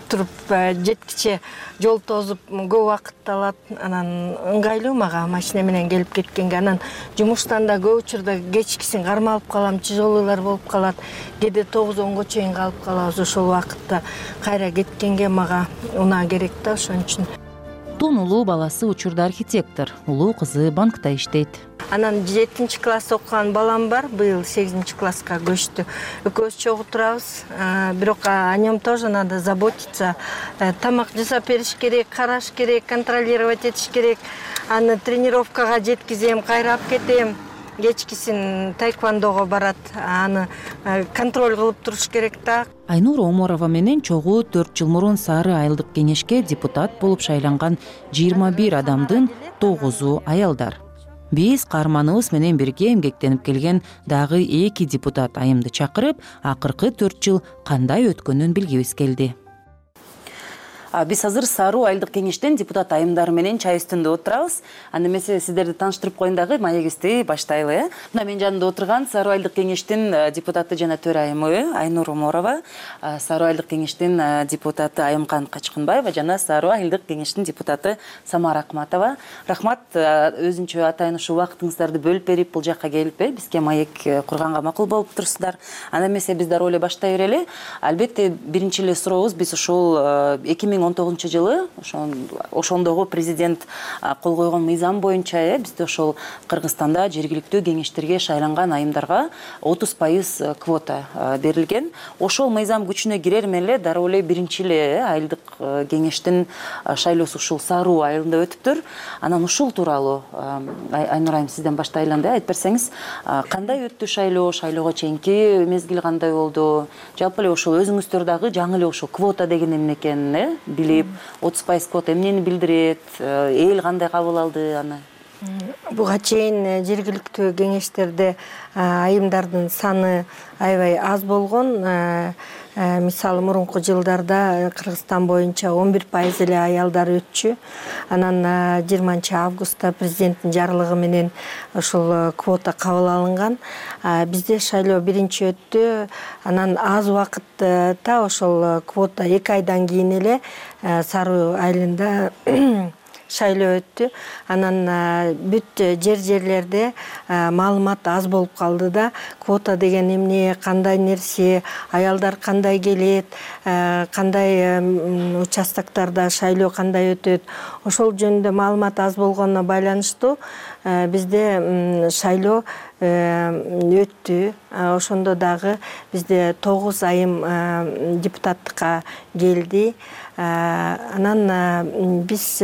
туруп жеткиче жол тозуп көп убакыт алат. Анан ыңгайлуу мага машина менен келип кеткенге. Анан жумуштан да көп учурда кечкисин кармалып калам, тяжелыйлар болуп калат. Кээде 9-10го чейин калып калабыз. Ошол убакытта кайра кеткенге мага унаа керек да, ошон үчүн. улуттун улуу баласы учурда архитектор, улуу кызы банкта иштейт. Анан 7 класс окуган балам бар, быйыл 8 класска көчтү. Экөөбүз чогуу турабыз, бирок о нем тоже надо заботиться. Тамак жасап бериш керек, караш керек, контролировать этиш керек. Аны тренировкага жеткизем, кайрап кетем. Кечкисин таэквондого барат, аны контроль кылып туруш керек да. Айнура Оморова менен чогуу 4 жыл мурун Сары айылдык кеңешке депутат болуп шайланган 21 адамдын 9-у аялдар. Биз каарманыбыз менен бирге эмгектенип келген дагы 2 депутат айымды чакырып, акыркы 4 жыл кандай өткөнүн билгибиз келди. Биз азыр Саруу айылдык кеңештен депутат айымдары менен чай үстүндө отурабыз. Анда эмесе сиздерди тааныштырып коеюн дагы, маегибизди баштайлы. Мына менин жанымда отурган Саруу айылдык кеңештин депутаты жана төрайымы Айнура Оморова, Саруу айылдык кеңештин депутаты Айымкан Качкынбаева жана Саруу айылдык кеңештин депутаты Самара Акматова. Рахмат, өзүнчө атайын ушул убактыңыздарды бөлүп берип бул жакка келип бизге маек курганга макул болуп турсуздар. Анда эмесе биз дароо эле баштай берели. Албетте биринчи эле сурообуз, биз ушул 2019 жылы ошондогу президент кол койгон мыйзам боюнча бизде ошол Кыргызстанда жергиликтүү кеңештерге шайланган айымдарга 30% квота берилген. Ошол мыйзам күчүнө кирер менен эле дароо эле биринчи эле айылдык кеңештин шайлоосу ушул Саруу айылында өтүптүр. Анан ушул тууралуу Айнура айым сизден баштайлы, айтып берсеңиз, кандай өттү шайлоо, шайлоого чейинки мезгил кандай болду? Жалпы эле ошол өзүңүздөр дагы жаңы эле ошол квота деген эмне экенин билип, 30% квота эмнени билдирет, эл кандай кабыл алды аны? Буга чейин жергиликтүү кеңештерде айымдардын саны аябай аз болгон. Мисалы мурунку жылдарда Кыргызстан боюнча 11% эле аялдар өтчү. Анан 20 августта президенттин жарлыгы менен ошол квота кабыл алынган. Бизде шайлоо биринчи өттү. Анан аз убакытта ошол квота 2 айдан кийин эле Саруу айылында шайлоо өттү. Анан бүт жерлерде маалымат аз болуп калды да. Квота деген эмне, кандай нерсе, аялдар кандай келет, кандай участоктарда шайлоо кандай өтөт. Ошол жөнүндө маалымат аз болгонуна байланыштуу бизде шайлоо өттү. Ошондо дагы бизде 9 айым депутаттыкка келди. Анан биз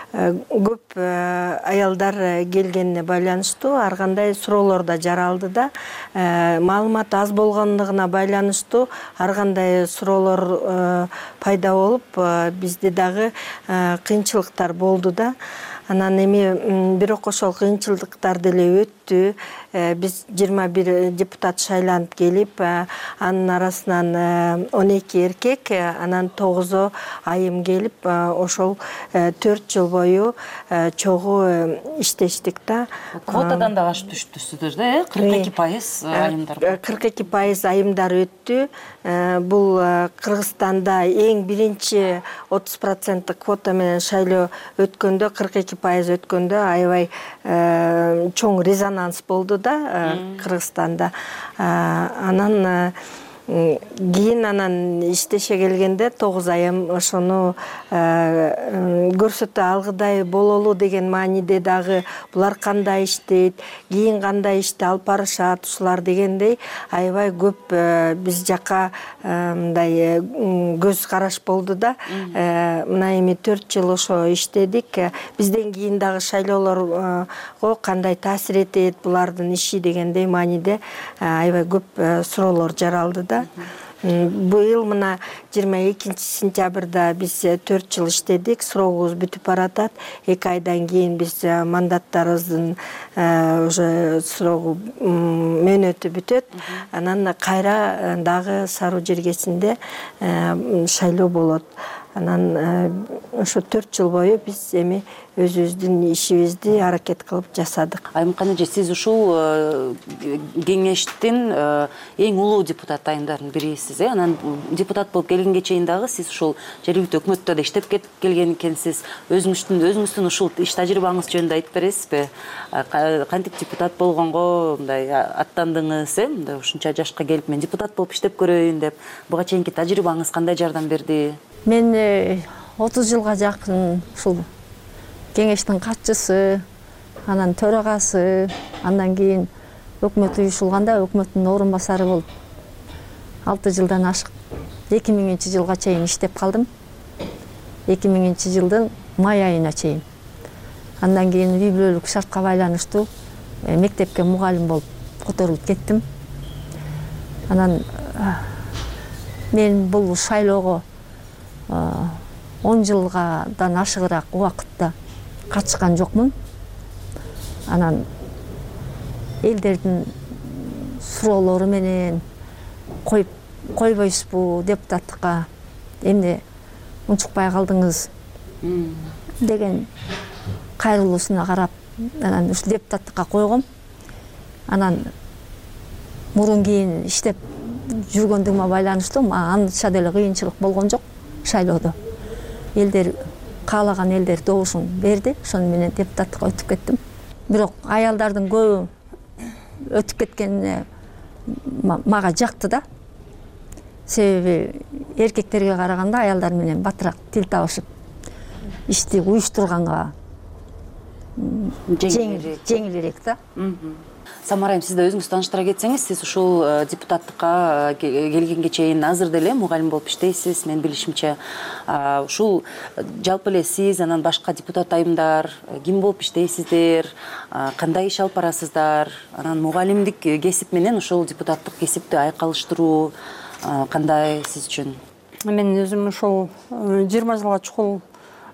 көп аялдар келгенине байланыштуу ар кандай суроолор да жаралды да. Маалымат аз болгондугуна байланыштуу ар кандай суроолор пайда болуп, бизде дагы кыйынчылыктар болду да. Анан эми бирок ошол кыйынчылыктар деле өттү. Биз 21 депутат шайланып келип, анын арасынан 12 эркек, анан 9 айым келип, ошол 4 жыл бою чогуу иштештик да. Квотадан да ашып түштүсүздөр да, 42% айымдар. 42% айымдар өттү. Бул Кыргызстанда эң биринчи 30% квота менен шайлоо өткөндө, 42% өткөндө аябай чоң резонанс болду да Кыргызстанда. Анан кийин анан иштеше келгенде 9 айым ошону көрсөтө алгыдай бололу деген мааниде дагы булар кандай иштейт, кийин кандай ишти алып барышат ушулар дегендей аябай көп биз жакка мындай көз караш болду да. Мына эми 4 жыл ошо иштедик. Бизден кийин дагы шайлоолорго кандай таасир этет булардын иши дегендей мааниде аябай көп суроолор жаралды да. Быйыл мына 22 сентябрда биз 4 жыл иштедик, срогубуз бүтүп баратат. 2 айдан кийин биз мандаттарыбыздын уже срогу мөөнөтү бүтөт. Анан кайра дагы Саруу жергесинде шайлоо болот. Анан ошо 4 жыл бою биз эми өзүбүздүн ишибизди аракет кылып жасадык. Айымкан эже, сиз ушул кеңештин эң улуу депутат айымдардын бирисиз. Анан депутат болуп келгенге чейин дагы сиз ушул жергиликтүү өкмөттө да иштеп келген экенсиз. Өзүңүздүн ушул иш тажрыйбаңыз жөнүндө айтып бересизби? Кантип депутат болгонго мындай аттандыңыз, мындай ушунча жашка келип мен депутат болуп иштеп көрөйүн деп. Буга чейинки тажрыйбаңыз кандай жардам берди? Мен 30 жылга жакын ушул кеңештин катчысы, анан төрагасы, андан кийин өкмөт уюшулганда өкмөттүн орун басары болуп 6 жылдан ашык 2000-жылга чейин иштеп калдым. 2000-жылдын май айына чейин. Андан кийин үй бүлөлүк шартка байланыштуу мектепке мугалим болуп которулуп кеттим. Анан мен бул шайлоого 10 жылгадан ашыгыраак убакытта катышкан жокмун. Анан элдердин суроолору менен койбойсузбу депутаттыкка, эмне унчукпай калдыңыз деген кайрылуусуна карап, анан ушу депутаттыкка койгом. Анан мурун кийин иштеп жүргөндүгүмө байланыштуу анча деле кыйынчылык болгон жок шайлоодо. Элдер каалаган элдер добушун берди, ошону менен депутаттыкка өтүп кеттим. Бирок аялдардын көбү өтүп кеткенине мага жакты да. Себеби эркектерге караганда аялдар менен батыраак тил табышып, ишти уюштурганга жеңилирээк да. Самара айым, сиз да өзүңүз тааныштыра кетсеңиз, сиз ушул депутаттыкка келгенге чейин азыр деле мугалим болуп иштейсиз, менин билишимче. Ушул жалпы эле сиз, анан башка депутат айымдар ким болуп иштейсиздер, кандай иш алып барасыздар, анан мугалимдик кесип менен ушул депутаттык кесипти айкалыштыруу кандай сиз үчүн? Мен өзүм ушул 20 жылга чукул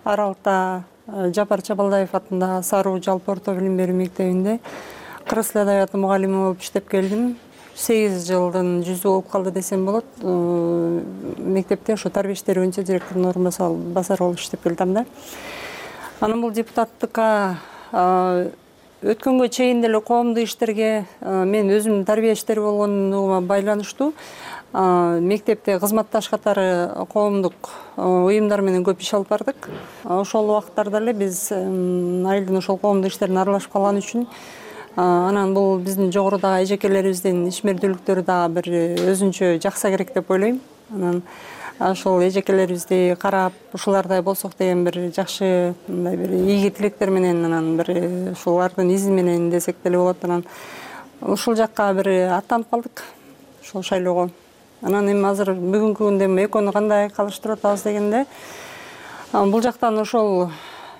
аралыкта Жапар Чабалдаев атындагы Саруу жалпы орто билим берүү мектебинде кыргыз тили адабияты мугалими болуп иштеп келдим. 8 жылдын жүзү болуп калды десем болот. Мектепте ошо тарбия иштери боюнча директордун орун басары болуп иштеп келдим да. Анан бул депутаттыкка өткөнгө чейин деле коомдук иштерге мен өзүм тарбия иштери болгондугума байланыштуу мектепте кызматташ катары коомдук уюмдар менен көп иш алып бардык. Ошол убакыттарда эле биз айылдын ошол коомдук иштерине аралашып калган үчүн анан бул биздин жогорудагы эжекелерибиздин ишмердүүлүктөрү дагы бир өзүнчө жакса керек деп ойлойм. Анан ошол эжекелерибизди карап, ушулардай болсок деген бир жакшы мындай бир ийги тилектер менен анан бир ушулардын изи менен десек деле болот. Анан ушул жакка бир аттанып калдык ошол шайлоого. Анан эми азыр бүгүнкү күндө экөөнү кандай калыштырып атабыз дегенде, бул жактан ошол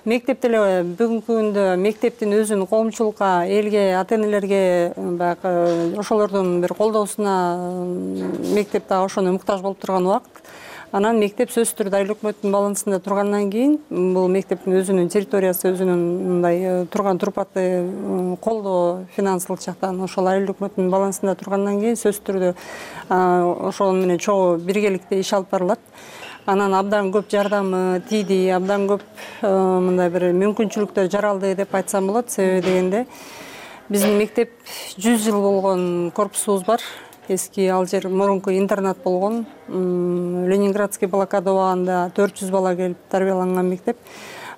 мектепте эле бүгүнкү күндө мектептин өзүнүн коомчулукка, элге, ата-энелерге баягы ошолордун бир колдоосуна мектеп дагы ошону муктаж болуп турган убакыт. Анан мектеп сөзсүз түрдө айыл өкмөттүн балансында тургандан кийин бул мектептин өзүнүн территориясы, өзүнүн мындай турган турпаты колдоо финансылык жактан ошол айыл өкмөттүн балансында тургандан кийин сөзсүз түрдө ошол менен чогуу биргеликте иш алып барылат. Анан абдан көп жардамы тийди, абдан көп мындай бир мүмкүнчүлүктөр жаралды деп айтсам болот. Себеби дегенде биздин мектеп 100 жыл болгон корпусубуз бар. Эски ал жер мурунку интернат болгон. Ленинградский блокада убагында 400 бала келип тарбияланган мектеп.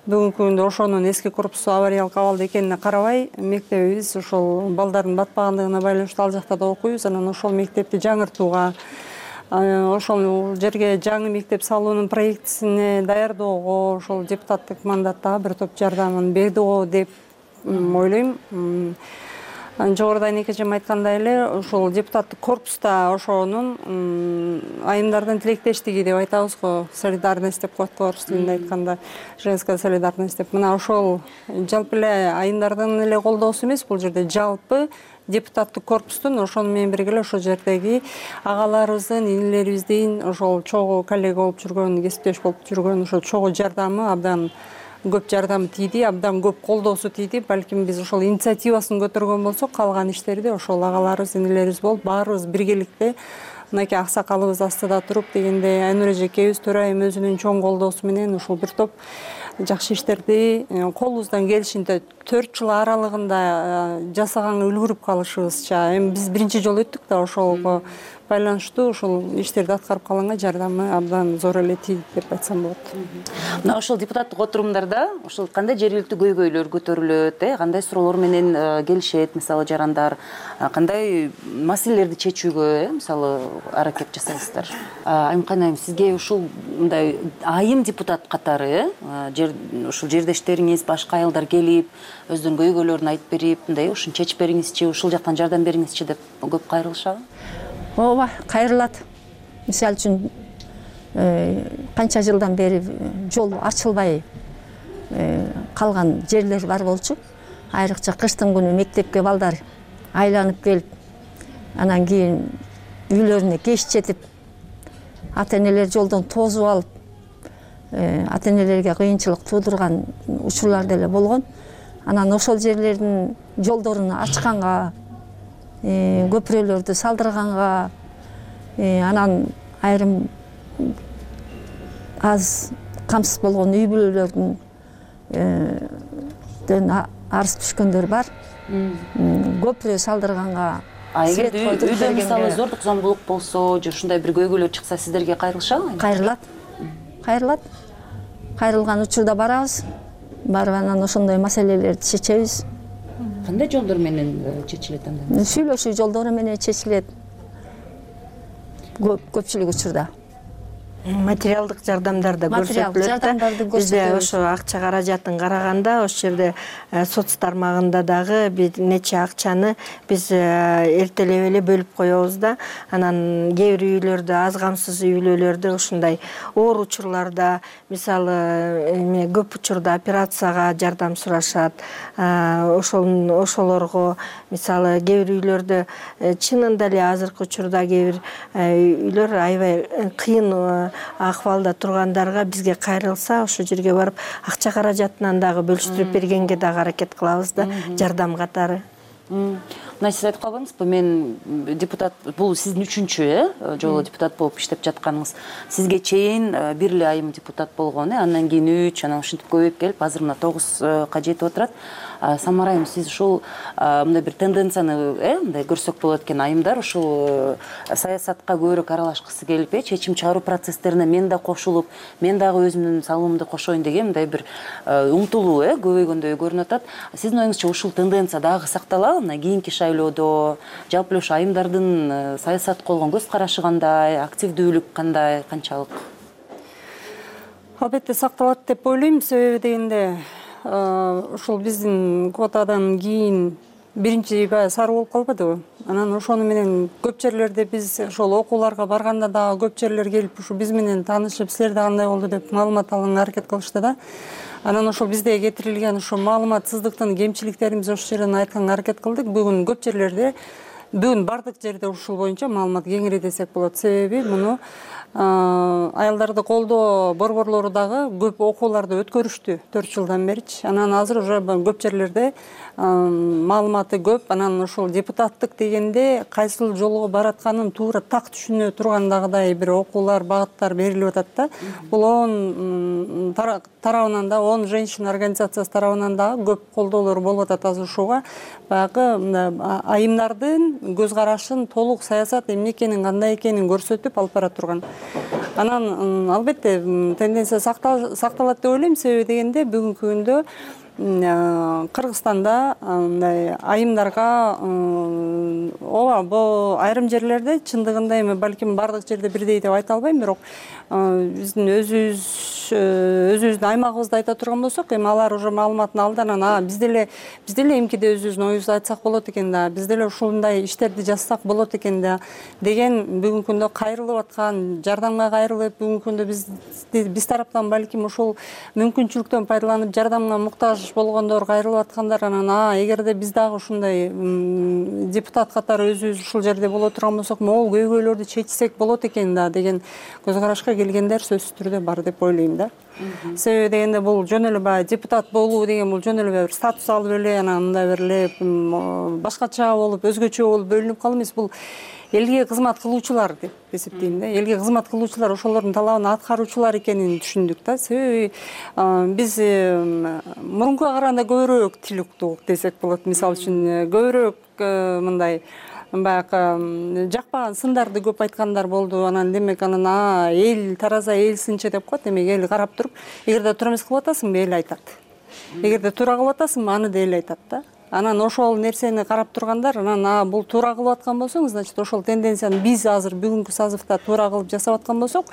Бүгүнкү күндө ошонун эски корпусу авариялык абалда экенине карабай, мектебибиз ошол балдардын батпагандыгына байланыштуу ал жакта да окуйбуз. Анан ошол мектепти жаңыртууга, ошол жерге жаңы мектеп салуунун проектисине даярдоого ошол депутаттык мандаттагы бир топ жардамын берди го деп ойлойм. Жогоруда энекечем айткандай эле ошол депутаттык корпуста ошонун айымдардын тилектештиги деп айтабыз го, солидарность деп коет го орус тилинде айтканда, женская солидарность деп. Мына ошол жалпы эле айымдардын эле колдоосу эмес, бул жерде жалпы депутаттык корпустун ошону менен бирге эле ошол жердеги агаларыбыздын, инилерибиздин ошол чогуу коллега болуп жүргөн, кесиптеш болуп жүргөн ошол чогуу жардамы абдан көп жардамы тийди, абдан көп колдоосу тийди. Балким биз ошол инициативасын көтөргөн болсок, калган иштерди ошол агаларыбыз, инилерибиз болуп, баарыбыз биргеликте мынакей аксакалыбыз астында туруп дегенде Айнур эжекебиз, төрайым өзүнүн чоң колдоосу менен ушул бир топ жакшы иштерди колубуздан келишинче 4 жыл аралыгында жасаганга үлгүрүп калышыбызча эми биз биринчи жолу өттүк да ошого байланыштуу ушул иштерди аткарып калганга жардамы абдан зор эле тийди деп айтсам болот. Мына ошол депутаттык отурумдарда ошол кандай жергиликтүү көйгөйлөр көтөрүлөт, кандай суроолор менен келишет мисалы жарандар, кандай маселелерди чечүүгө мисалы аракет жасайсыздар. Айымкан айым, сизге ушул мындай айым депутат катары ушул жердештериңиз, башка аялдар келип өздөрүнүн көйгөйлөрүн айтып берип, мындай ушуну чечип бериңизчи, ушул жактан жардам бериңизчи деп көп кайрылышабы? Ооба, кайрылат. Мисалы үчүн канча жылдан бери жол ачылбай калган жерлер бар болчу. Айрыкча кыштын күнү мектепке балдар айланып келип, анан кийин үйлөрүнө кеч жетип, ата-энелер жолдон тосуп алып, ата-энелерге кыйынчылык туудурган учурлар деле болгон. Анан ошол жерлердин жолдорун ачканга, көпүрөлөрдү салдырганга, анан айрым аз камсыз болгон үй бүлөлөрдүн арыз түшкөндөр бар. Көпүрө салдырганга, эгер үйдө мисалы зордук зомбулук болсо, же ушундай бир көйгөйлөр чыкса, сиздерге кайрылышабы? Кайрылат. Кайрылган учурда барабыз. Барып анан ошондой маселелерди чечебиз. Кандай жолдор менен чечилет анда? Сүйлөшүү жолдору менен чечилет. Көпчүлүк учурда. Материалдык жардамдарды көрсөтүлөт. Бизде ошо акча каражатын караганда, ошол жерде соц тармагында дагы бир нече акчаны биз эртелеп эле бөлүп коебуз да. Анан кээ бир үйлөрдө, аз камсыз үйлөрдө ушундай оор учурларда, мисалы көп учурда операцияга жардам сурашат. Ошолорго мисалы кээ бир үйлөрдө чынында эле азыркы учурда кээ бир үйлөр аябай кыйын акыбалда тургандарга бизге кайрылса, ошол жерге барып акча каражатынан дагы бөлүштүрүп бергенге дагы аракет кылабыз да, жардам катары. Мына сиз айтып калбаңызбы, мен депутат, бул сиздин үчүнчү жолу депутат болуп иштеп жатканыңыз. Сизге чейин бир эле айым депутат болгон, андан кийин 3, анан ушинтип көбөйүп келип, азыр мына 9га жетип отурат. Самара айым, сиз ушул мындай бир тенденцияны мындай көрсөк болот экен, айымдар ушул саясатка көбүрөөк аралашкысы келип, чечим чыгаруу процесстерине мен да кошулуп, мен дагы өзүмдүн салымымды кошоюн деген мындай бир умтулуу көбөйгөндөй көрүнүп атат. Сиздин оюңузча ушул тенденция дагы сакталабы? Мына кийинки шайлоодо жалпы эле ушу айымдардын саясатка болгон көз карашы кандай, активдүүлүк кандай, канчалык? Албетте сакталат деп ойлойм, себеби дегенде ушул биздин квотадан кийин биринчи баягы сары болуп калбадыбы? Анан ошону менен көп жерлерде биз ошол окууларга барганда дагы көп жерлер келип ушу биз менен таанышып, силерде кандай болду деп маалымат алганга аракет кылышты да. Анан ошол бизде кетирилген ошо маалыматсыздыктын кемчиликтерин ошол жерден айтканга аракет кылдык. Бүгүн көп жерлерде, бүгүн бардык жерде ушул боюнча маалымат кеңири десек болот. Себеби муну аялдарды колдоо борборлору дагы көп окууларды өткөрүштү 4 жылдан беричи. Анан азыр уже көп жерлерде маалыматы көп. Анан ошол депутаттык дегенде кайсыл жолго баратканын туура так түшүнө тургандагыдай бир окуулар, багыттар берилип атат да. Бул ООН тарабынан да, ООН женщина организациясы тарабынан дагы көп колдоолор болуп атат азыр ушуга. Баягы айымдардын көз карашын толук саясат эмне экенин, кандай экенин көрсөтүп алып бара турган. Анан албетте тенденция сакталат деп ойлойм, себеби дегенде бүгүнкү күндө Кыргызстанда мындай айымдарга ооба бул айрым жерлерде чындыгында эми балким бардык жерде бирдей деп айта албайм, бирок биздин өзүбүздүн аймагыбызды айта турган болсок, эми алар уже маалыматын алды, анан биз деле эмкиде өзүбүздүн оюбузду айтсак болот экен да, биз деле ушундай иштерди жазсак болот экен да деген бүгүнкү күндө кайрылып аткан, жардамга кайрылып, бүгүнкү күндө биз тараптан балким ушул мүмкүнчүлүктөн пайдаланып жардамга муктаж болгондор кайрылып аткандар. Анан эгерде биз дагы ушундай депутат катары өзүбүз ушул жерде боло турган болсок, могул көйгөйлөрдү чечсек болот экен да деген көз карашка келгендер сөзсүз түрдө бар деп ойлойм да. Себеби дегенде бул жөн эле баягы депутат болуу деген бул жөн эле бир статус алып эле анан мындай бир эле башкача болуп, өзгөчө болуп бөлүнүп калуу эмес. Бул элге кызмат кылуучулар деп эсептейм да. Элге кызмат кылуучулар ошолордун талабын аткаруучулар экенин түшүндүк да. Себеби биз мурункуга караганда көбүрөөк тил уктук десек болот. Мисалы үчүн көбүрөөк мындай баягы жакпаган сындарды көп айткандар болду. Анан демек анан эл тараза эл сынчы деп коет. Демек эл карап туруп, эгерде туура эмес кылып атасыңбы, эл айтат. Эгерде туура кылып атасыңбы, аны да эл айтат да. Анан ошол нерсени карап тургандар, анан бул туура кылып аткан болсоң, значит ошол тенденцияны биз азыр бүгүнкү созывда туура кылып жасап аткан болсок,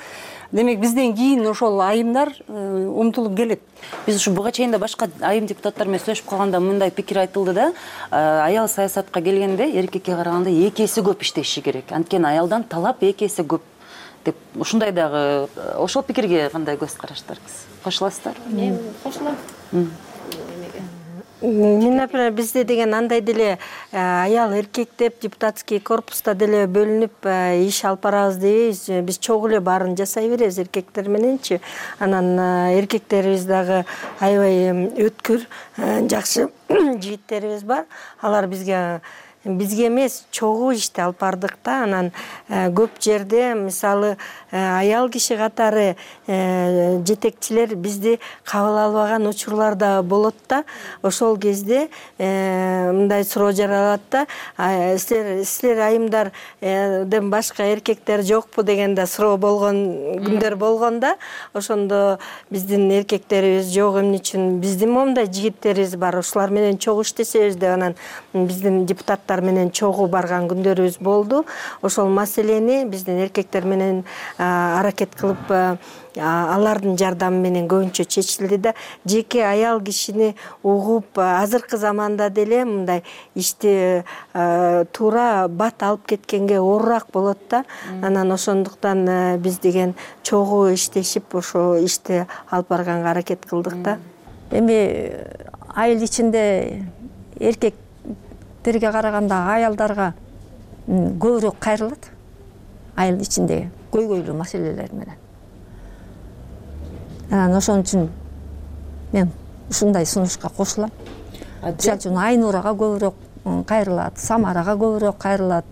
демек бизден кийин ошол айымдар умтулуп келет. Биз ушу буга чейин да башка айым депутаттар менен сүйлөшүп калганда мындай пикир айтылды да, аял саясатка келгенде эркекке караганда 2 эсе көп иштеши керек. Анткени аялдан талап 2 эсе көп деп ушундай дагы ошол пикирге кандай көз караштарыңыз? Кошуласыздар? Кошулам. Мен, например, бизде деген андай деле аял эркек деп депутатский корпуста деле бөлүнүп иш алып барабыз дейбиз. Биз чогуу эле баарын жасай беребиз эркектер мененчи. Анан эркектерибиз дагы аябай өткүр, жакшы жигиттерибиз бар. Алар бизге эмес чогуу ишти алып бардык да. Анан көп жерде мисалы аял киши катары жетекчилер бизди кабыл албаган учурлар да болот да. Ошол кезде мындай суроо жаралат да. Силер айымдарден башка эркектер жокпу деген да суроо болгон күндөр болгон да. Ошондо биздин эркектерибиз жок, эмне үчүн биздин момундай жигиттерибиз бар, ошолар менен чогуу иштесебиз деп анан биздин депутаттар менен чогуу барган күндөрүбүз болду. Ошол маселени биздин эркектер менен аракет кылып алардын жардамы менен көбүнчө чечилди да. Жеке аял кишини угуп азыркы заманда деле мындай ишти туура бат алып кеткенге оорураак болот да. Анан ошондуктан биз деген чогуу иштешип ошо ишти алып барганга аракет кылдык да. Эми айыл ичинде эркектерге караганда аялдарга көбүрөөк кайрылат. Айыл ичиндеги көйгөйлүү маселелер менен. Анан ошон үчүн мен ушундай сунушка кошулам. Мисалы үчүн Айнурага көбүрөөк кайрылат, Самарага көбүрөөк кайрылат.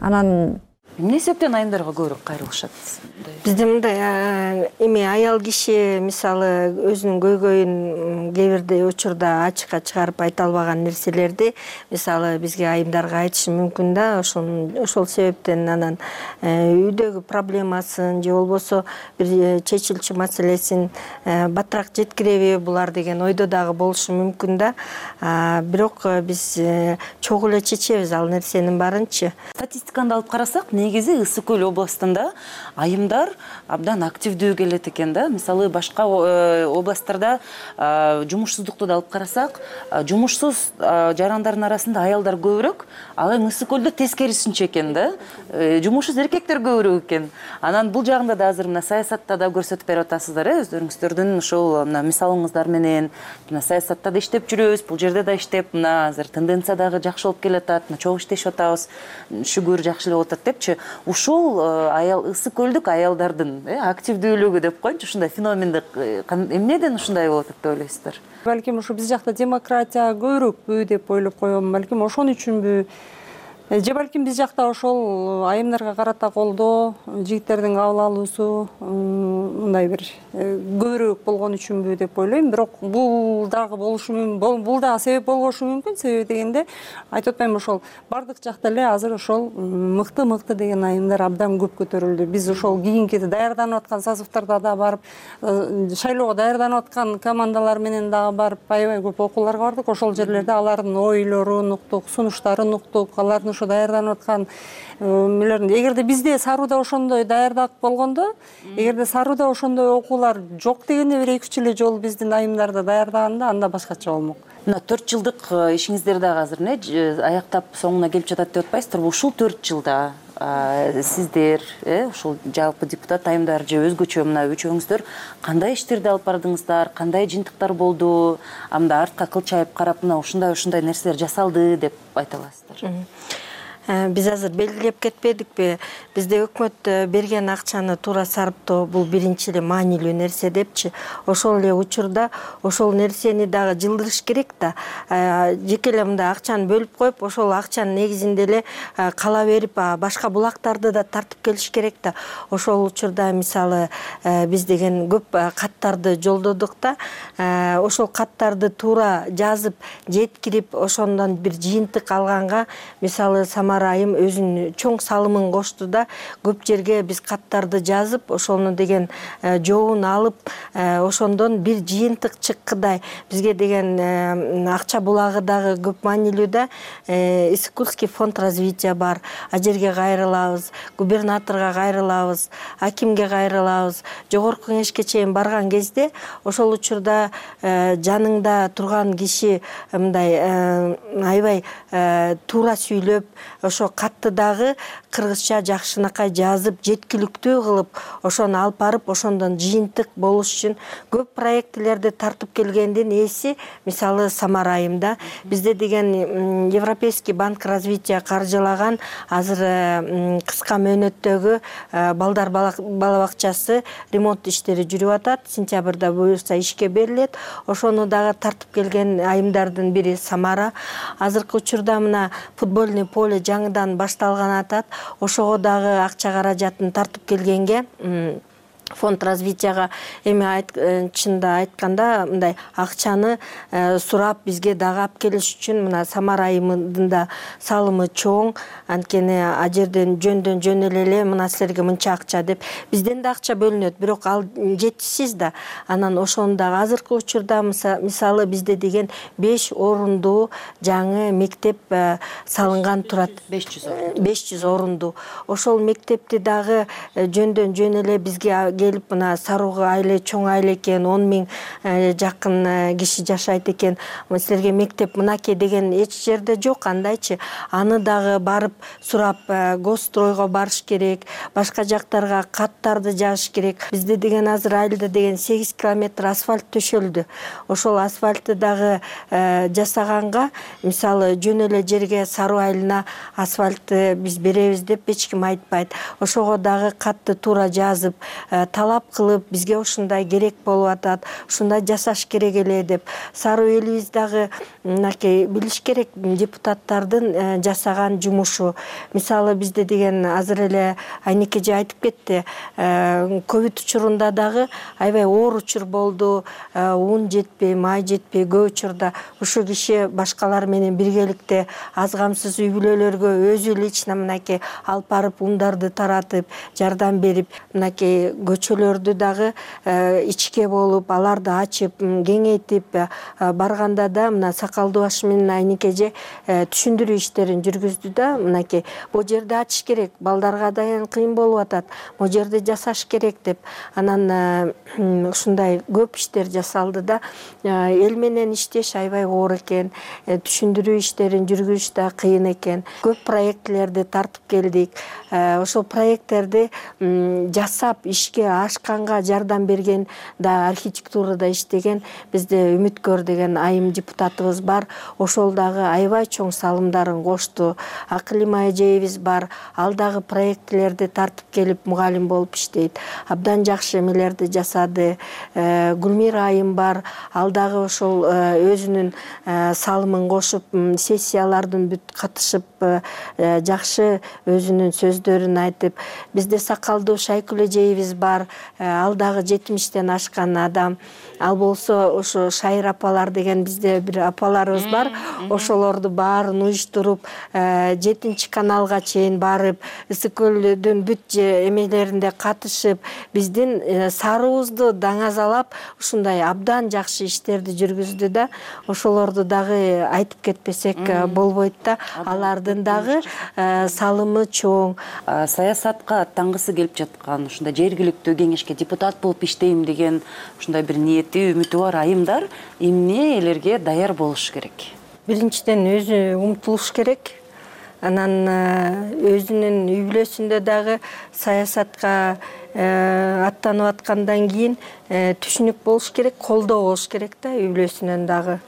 Анан эмне себептен айымдарга көбүрөөк кайрылышат? Бизде мындай эми аял киши мисалы өзүнүн көйгөйүн кээ бирде учурда ачыкка чыгарып айта албаган нерселерди мисалы бизге айымдарга айтышы мүмкүн да. Ошол себептен анан үйдөгү проблемасын же болбосо бир чечилчү маселесин батыраак жеткиреби булар деген ойдо дагы болушу мүмкүн да. Бирок биз чогуу эле чечебиз ал нерсенин баарынчы. Статистиканы алып карасак, негизи Ысык көл областында айымдар абдан активдүү келет экен да. Мисалы башка областтарда жумушсуздукту да алып карасак, жумушсуз жарандардын арасында аялдар көбүрөөк, ал эми Ысык көлдө тескерисинче экен да. Жумушсуз эркектер көбүрөөк экен. Анан бул жагында да азыр мына саясатта да көрсөтүп берип атасыздар, өздөрүңүздөрдүн ушул мына мисалыңыздар менен мына саясатта да иштеп жүрөбүз, бул жерде да иштеп, мына азыр тенденция дагы жакшы болуп келатат, мына чогуу иштешип атабыз, шүгүр жакшы эле болуп атат депчи. Ушул аял Ысык көлдүк аялдардын активдүүлүгү деп коеюнчу, ушундай феноменди эмнеден ушундай болуп атат деп ойлойсуздар? Балким ушу биз жакта демократия көбүрөөкпү деп ойлоп коем. Балким ошон үчүнбү? Же балким биз жакта ошол айымдарга карата колдоо, жигиттердин кабыл алуусу мындай бир көбүрөөк болгон үчүнбү деп ойлойм. Бирок бул дагы болушу мүмкүн, бул дагы себеп болбошу мүмкүн. Себеби дегенде айтып атпаймынбы, ошол бардык жакта эле азыр ошол мыкты деген айымдар абдан көп көтөрүлдү. Биз ошол кийинки даярданып аткан созывдарда да барып, шайлоого даярданып аткан командалар менен дагы барып аябай көп окууларга бардык. Ошол жерлерде алардын ойлорун уктук, сунуштарын уктук, алардын даярданып аткан мелерин. Эгерде бизде Саруда ошондой даярдак болгондо, эгерде Саруда ошондой окуулар жок дегенде бир 2-3 эле жолу биздин айымдарды даярдаганда анда башкача болмок. Мына 4 жылдык ишиңиздер дагы азыр аяктап соңуна келип жатат деп атпайсыздарбы? Ушул 4 жылда сиздер, ушул жалпы депутат айымдар же өзгөчө мына үчөөңүздөр кандай иштерди алып бардыңыздар, кандай жыйынтыктар болду, анда артка кылчайып карап, мына ушундай нерселер жасалды деп айта аласыздар? Биз азыр белгилеп кетпедикпи? Бизде өкмөт берген акчаны туура сарптоо бул биринчи эле маанилүү нерсе депчи. Ошол эле учурда ошол нерсени дагы жылдырыш керек да. Жеке эле мындай акчаны бөлүп коюп, ошол акчанын негизинде эле кала берип, башка булактарды да тартып келиш керек да. Ошол учурда мисалы биз деген көп каттарды жолдодук да. Ошол каттарды туура жазып, жеткирип, ошондон бир жыйынтык алганга, мисалы Самара айым өзүнүн чоң салымын кошту да. Көп жерге биз каттарды жазып, ошону деген жообун алып, ошондон бир жыйынтык чыккыдай бизге деген акча булагы дагы көп маанилүү да. Исыкульский фонд развития бар. А жерге кайрылабыз, губернаторго кайрылабыз, акимге кайрылабыз. Жогорку кеңешке чейин барган кезде ошол учурда жаныңда турган киши мындай аябай туура сүйлөп, ошо катты дагы кыргызча жакшынакай жазып, жеткиликтүү кылып, ошону алып барып, ошондон жыйынтык болуш үчүн көп проектилерди тартып келгендин эси мисалы Самара айымда. Бизде деген Европейский банк развития каржылаган азыр кыска мөөнөттөгү балдар бала бакчасы ремонт иштери жүрүп атат. Сентябрда буюрса ишке берилет. Ошону дагы тартып келген айымдардын бири Самара. Азыркы учурда мына футбольный поле жаңыдан башталган атат. Ошого дагы акча каражатын тартып келгенге фонд развитияга эми чында айтканда мындай акчаны сурап бизге дагы алып келиш үчүн мына Самара айымдын да салымы чоң. Анткени а жерден жөндөн эле мына силерге мынча акча деп бизден да акча бөлүнөт, бирок ал жетишсиз да. Анан ошону дагы азыркы учурда мисалы бизде деген 5 орундуу жаңы мектеп салынган турат. 500 орундуу. Ошол мектепти дагы жөндөн эле бизге келип мына Сарууга айле чоң айле экен, 10 000 жакын киши жашайт экен. Силерге мектеп мынакей деген эч жерде жок. Андайчы аны дагы барып сурап, Госстройго барыш керек, башка жактарга каттарды жазыш керек. Бизде деген азыр айылда деген 8 километр асфальт төшөлдү. Ошол асфальтты дагы жасаганга, мисалы жөн эле жерге Саруу айылына асфальтты биз беребиз деп эч ким айтпайт. Ошого дагы катты туура жазып, талап кылып, бизге ушундай керек болуп атат, ушундай жасаш керек эле деп. Саруу элибиз дагы мынакей билиш керек депутаттардын жасаган жумушу. Мисалы бизде деген азыр эле Айнеке же айтып кетти, ковид учурунда дагы аябай оор учур болду, ун жетпей, май жетпей көп учурда ушул киши башкалар менен биргеликте аз камсыз үй бүлөлөргө өзү лично мынакей алып барып ундарды таратып, жардам берип, мынакей көчөлөрдү дагы ичке болуп, аларды ачып, кеңейтип барганда да мына Сакалдуу баш менен Айнеке же түшүндүрүү иштерин жүргүздү да. Мынакей бул жерде ачыш керек, балдарга да кыйын болуп атат, бул жерде жасаш керек деп. Анан ушундай көп иштер жасалды да. Эл менен иштеш аябай оор экен, түшүндүрүү иштерин жүргүзүш да кыйын экен. Көп проектилерди тартып келдик. Ошол проекттерди жасап ишке ашканга жардам берген да, архитектурада иштеген бизде Үмүткөр деген айым депутатыбыз бар. Ошол дагы аябай чоң салымдарын кошту. Акылима эжебиз бар. Ал дагы проектилерди тартып келип мугалим болуп иштейт. Абдан жакшы эмелерди жасады. Гүлмира айым бар. Ал дагы ошол өзүнүн салымын кошуп, сессиялардын бүт катышып, жакшы өзүнүн сөздөрүн айтып. Бизде Сакалдуу Шайкүл эжебиз бар. Ал дагы 70-тен ашкан адам. Ал болсо ошо Шайыр апалар деген бизде бир апаларыбыз бар. Ошолорду баарын уюштуруп, 7 каналга чейин барып, Ысык көлдүн бүт эмелеринде катышып, биздин Сарыуубузду даңазалап, ушундай абдан жакшы иштерди жүргүздү да. Ошолорду дагы айтып кетпесек болбойт да. Алардын дагы салымы чоң. Саясатка аттангысы келип жаткан, ушундай жергиликтүү кеңешке депутат болуп иштейм деген ушундай бир ниети, үмүтү бар айымдар эмне элерге даяр болуш керек? Биринчиден өзү умтулуш керек. Анан өзүнүн үй бүлөсүндө дагы саясатка аттанып аткандан кийин түшүнүк болуш керек, колдоо болуш керек да үй бүлөсүнөн дагы.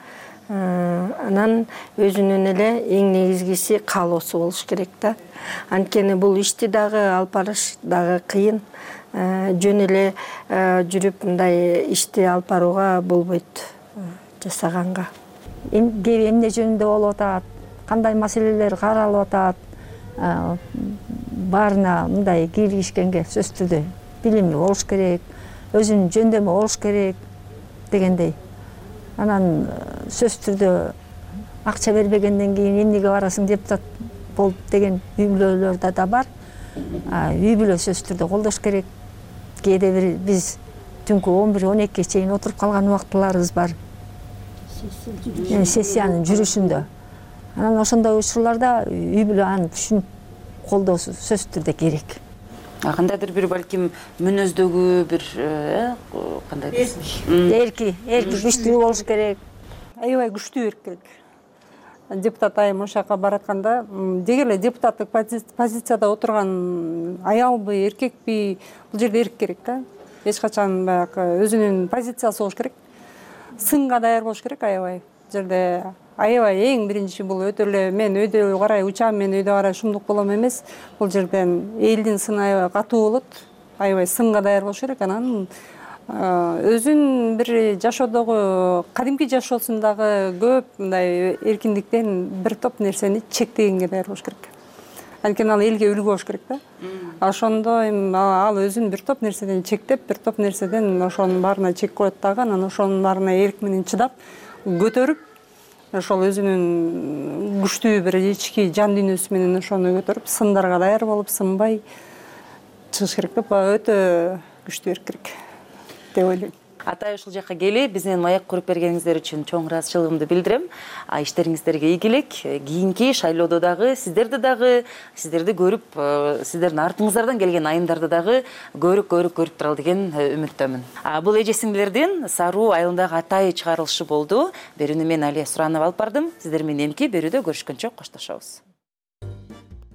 Анан өзүнүн эле эң негизгиси каалоосу болуш керек да. Анткени бул ишти дагы алып барыш дагы кыйын. Жөн эле жүрүп мындай ишти алып барууга болбойт жасаганга. Эмне жөнүндө болуп атат, кандай маселелер каралып атат, баарына мындай киргишкенге сөзсүз түрдө билими болуш керек, өзүнүн жөндөмү болуш керек дегендей. Анан сөзсүз түрдө акча бербегенден кийин эмнеге барасың депутат болуп деген үй бүлөлөр да бар. Үй бүлө сөзсүз түрдө колдош керек. Кээде бир биз түнкү 11-12-ге чейин отуруп калган убактыларыбыз бар. Сессиянын жүрүшүндө. Анан ошондой учурларда үй бүлө анын түшүнүп колдоосу сөзсүз түрдө керек. Кандайдыр бир балким мүнөздөгү бир кандай эрки күчтүү болуш керек. Аябай күчтүү эрк керек. Депутат айым ошол жака баратканда деги эле депутаттык позицияда отурган аялбы, эркекпи, бул жерде эрк керек да. Эч качан баягы өзүнүн позициясы болуш керек. Сынга даяр болуш керек аябай. Бул жерде аябай эң биринчи бул өтө эле мен өйдө карай учам, мен өйдө карай шумдук болом эмес. Бул жерден элдин сыны аябай катуу болот. Аябай сынга даяр болуш керек. Анан өзүн бир жашоодогу кадимки жашоосундагы көп мындай эркиндиктен бир топ нерсени чектегенге даяр болуш керек. Анткени ал элге үлгү болуш керек да. Ошондо ал өзүн бир топ нерседен чектеп, бир топ нерседен ошонун баарына чек коет дагы, анан ошонун баарына эрк менен чыдап, көтөрүп, ошол өзүнүн күчтүү бир ички жан дүйнөсү менен ошону көтөрүп, сындарга даяр болуп, сынбай чыгыш керек деп өтө күчтүү эрк керек деп ойлойм. Атай ушул жакка келип, биз менен маек куруп бергениңиздер үчүн чоң ыраазычылыгымды билдирем. Иштериңиздерге ийгилик. Кийинки шайлоодо дагы сиздерди көрүп, сиздердин артыңыздардан келген айымдарды дагы көрүп туралы деген үмүттөмүн. Бул эже сиңдилердин Саруу айылындагы Атай чыгарылышы болду. Берүүнү мен Алия Суранова алып бардым. Сиздер менен эмки берүүдө көрүшкөнчө коштошобуз.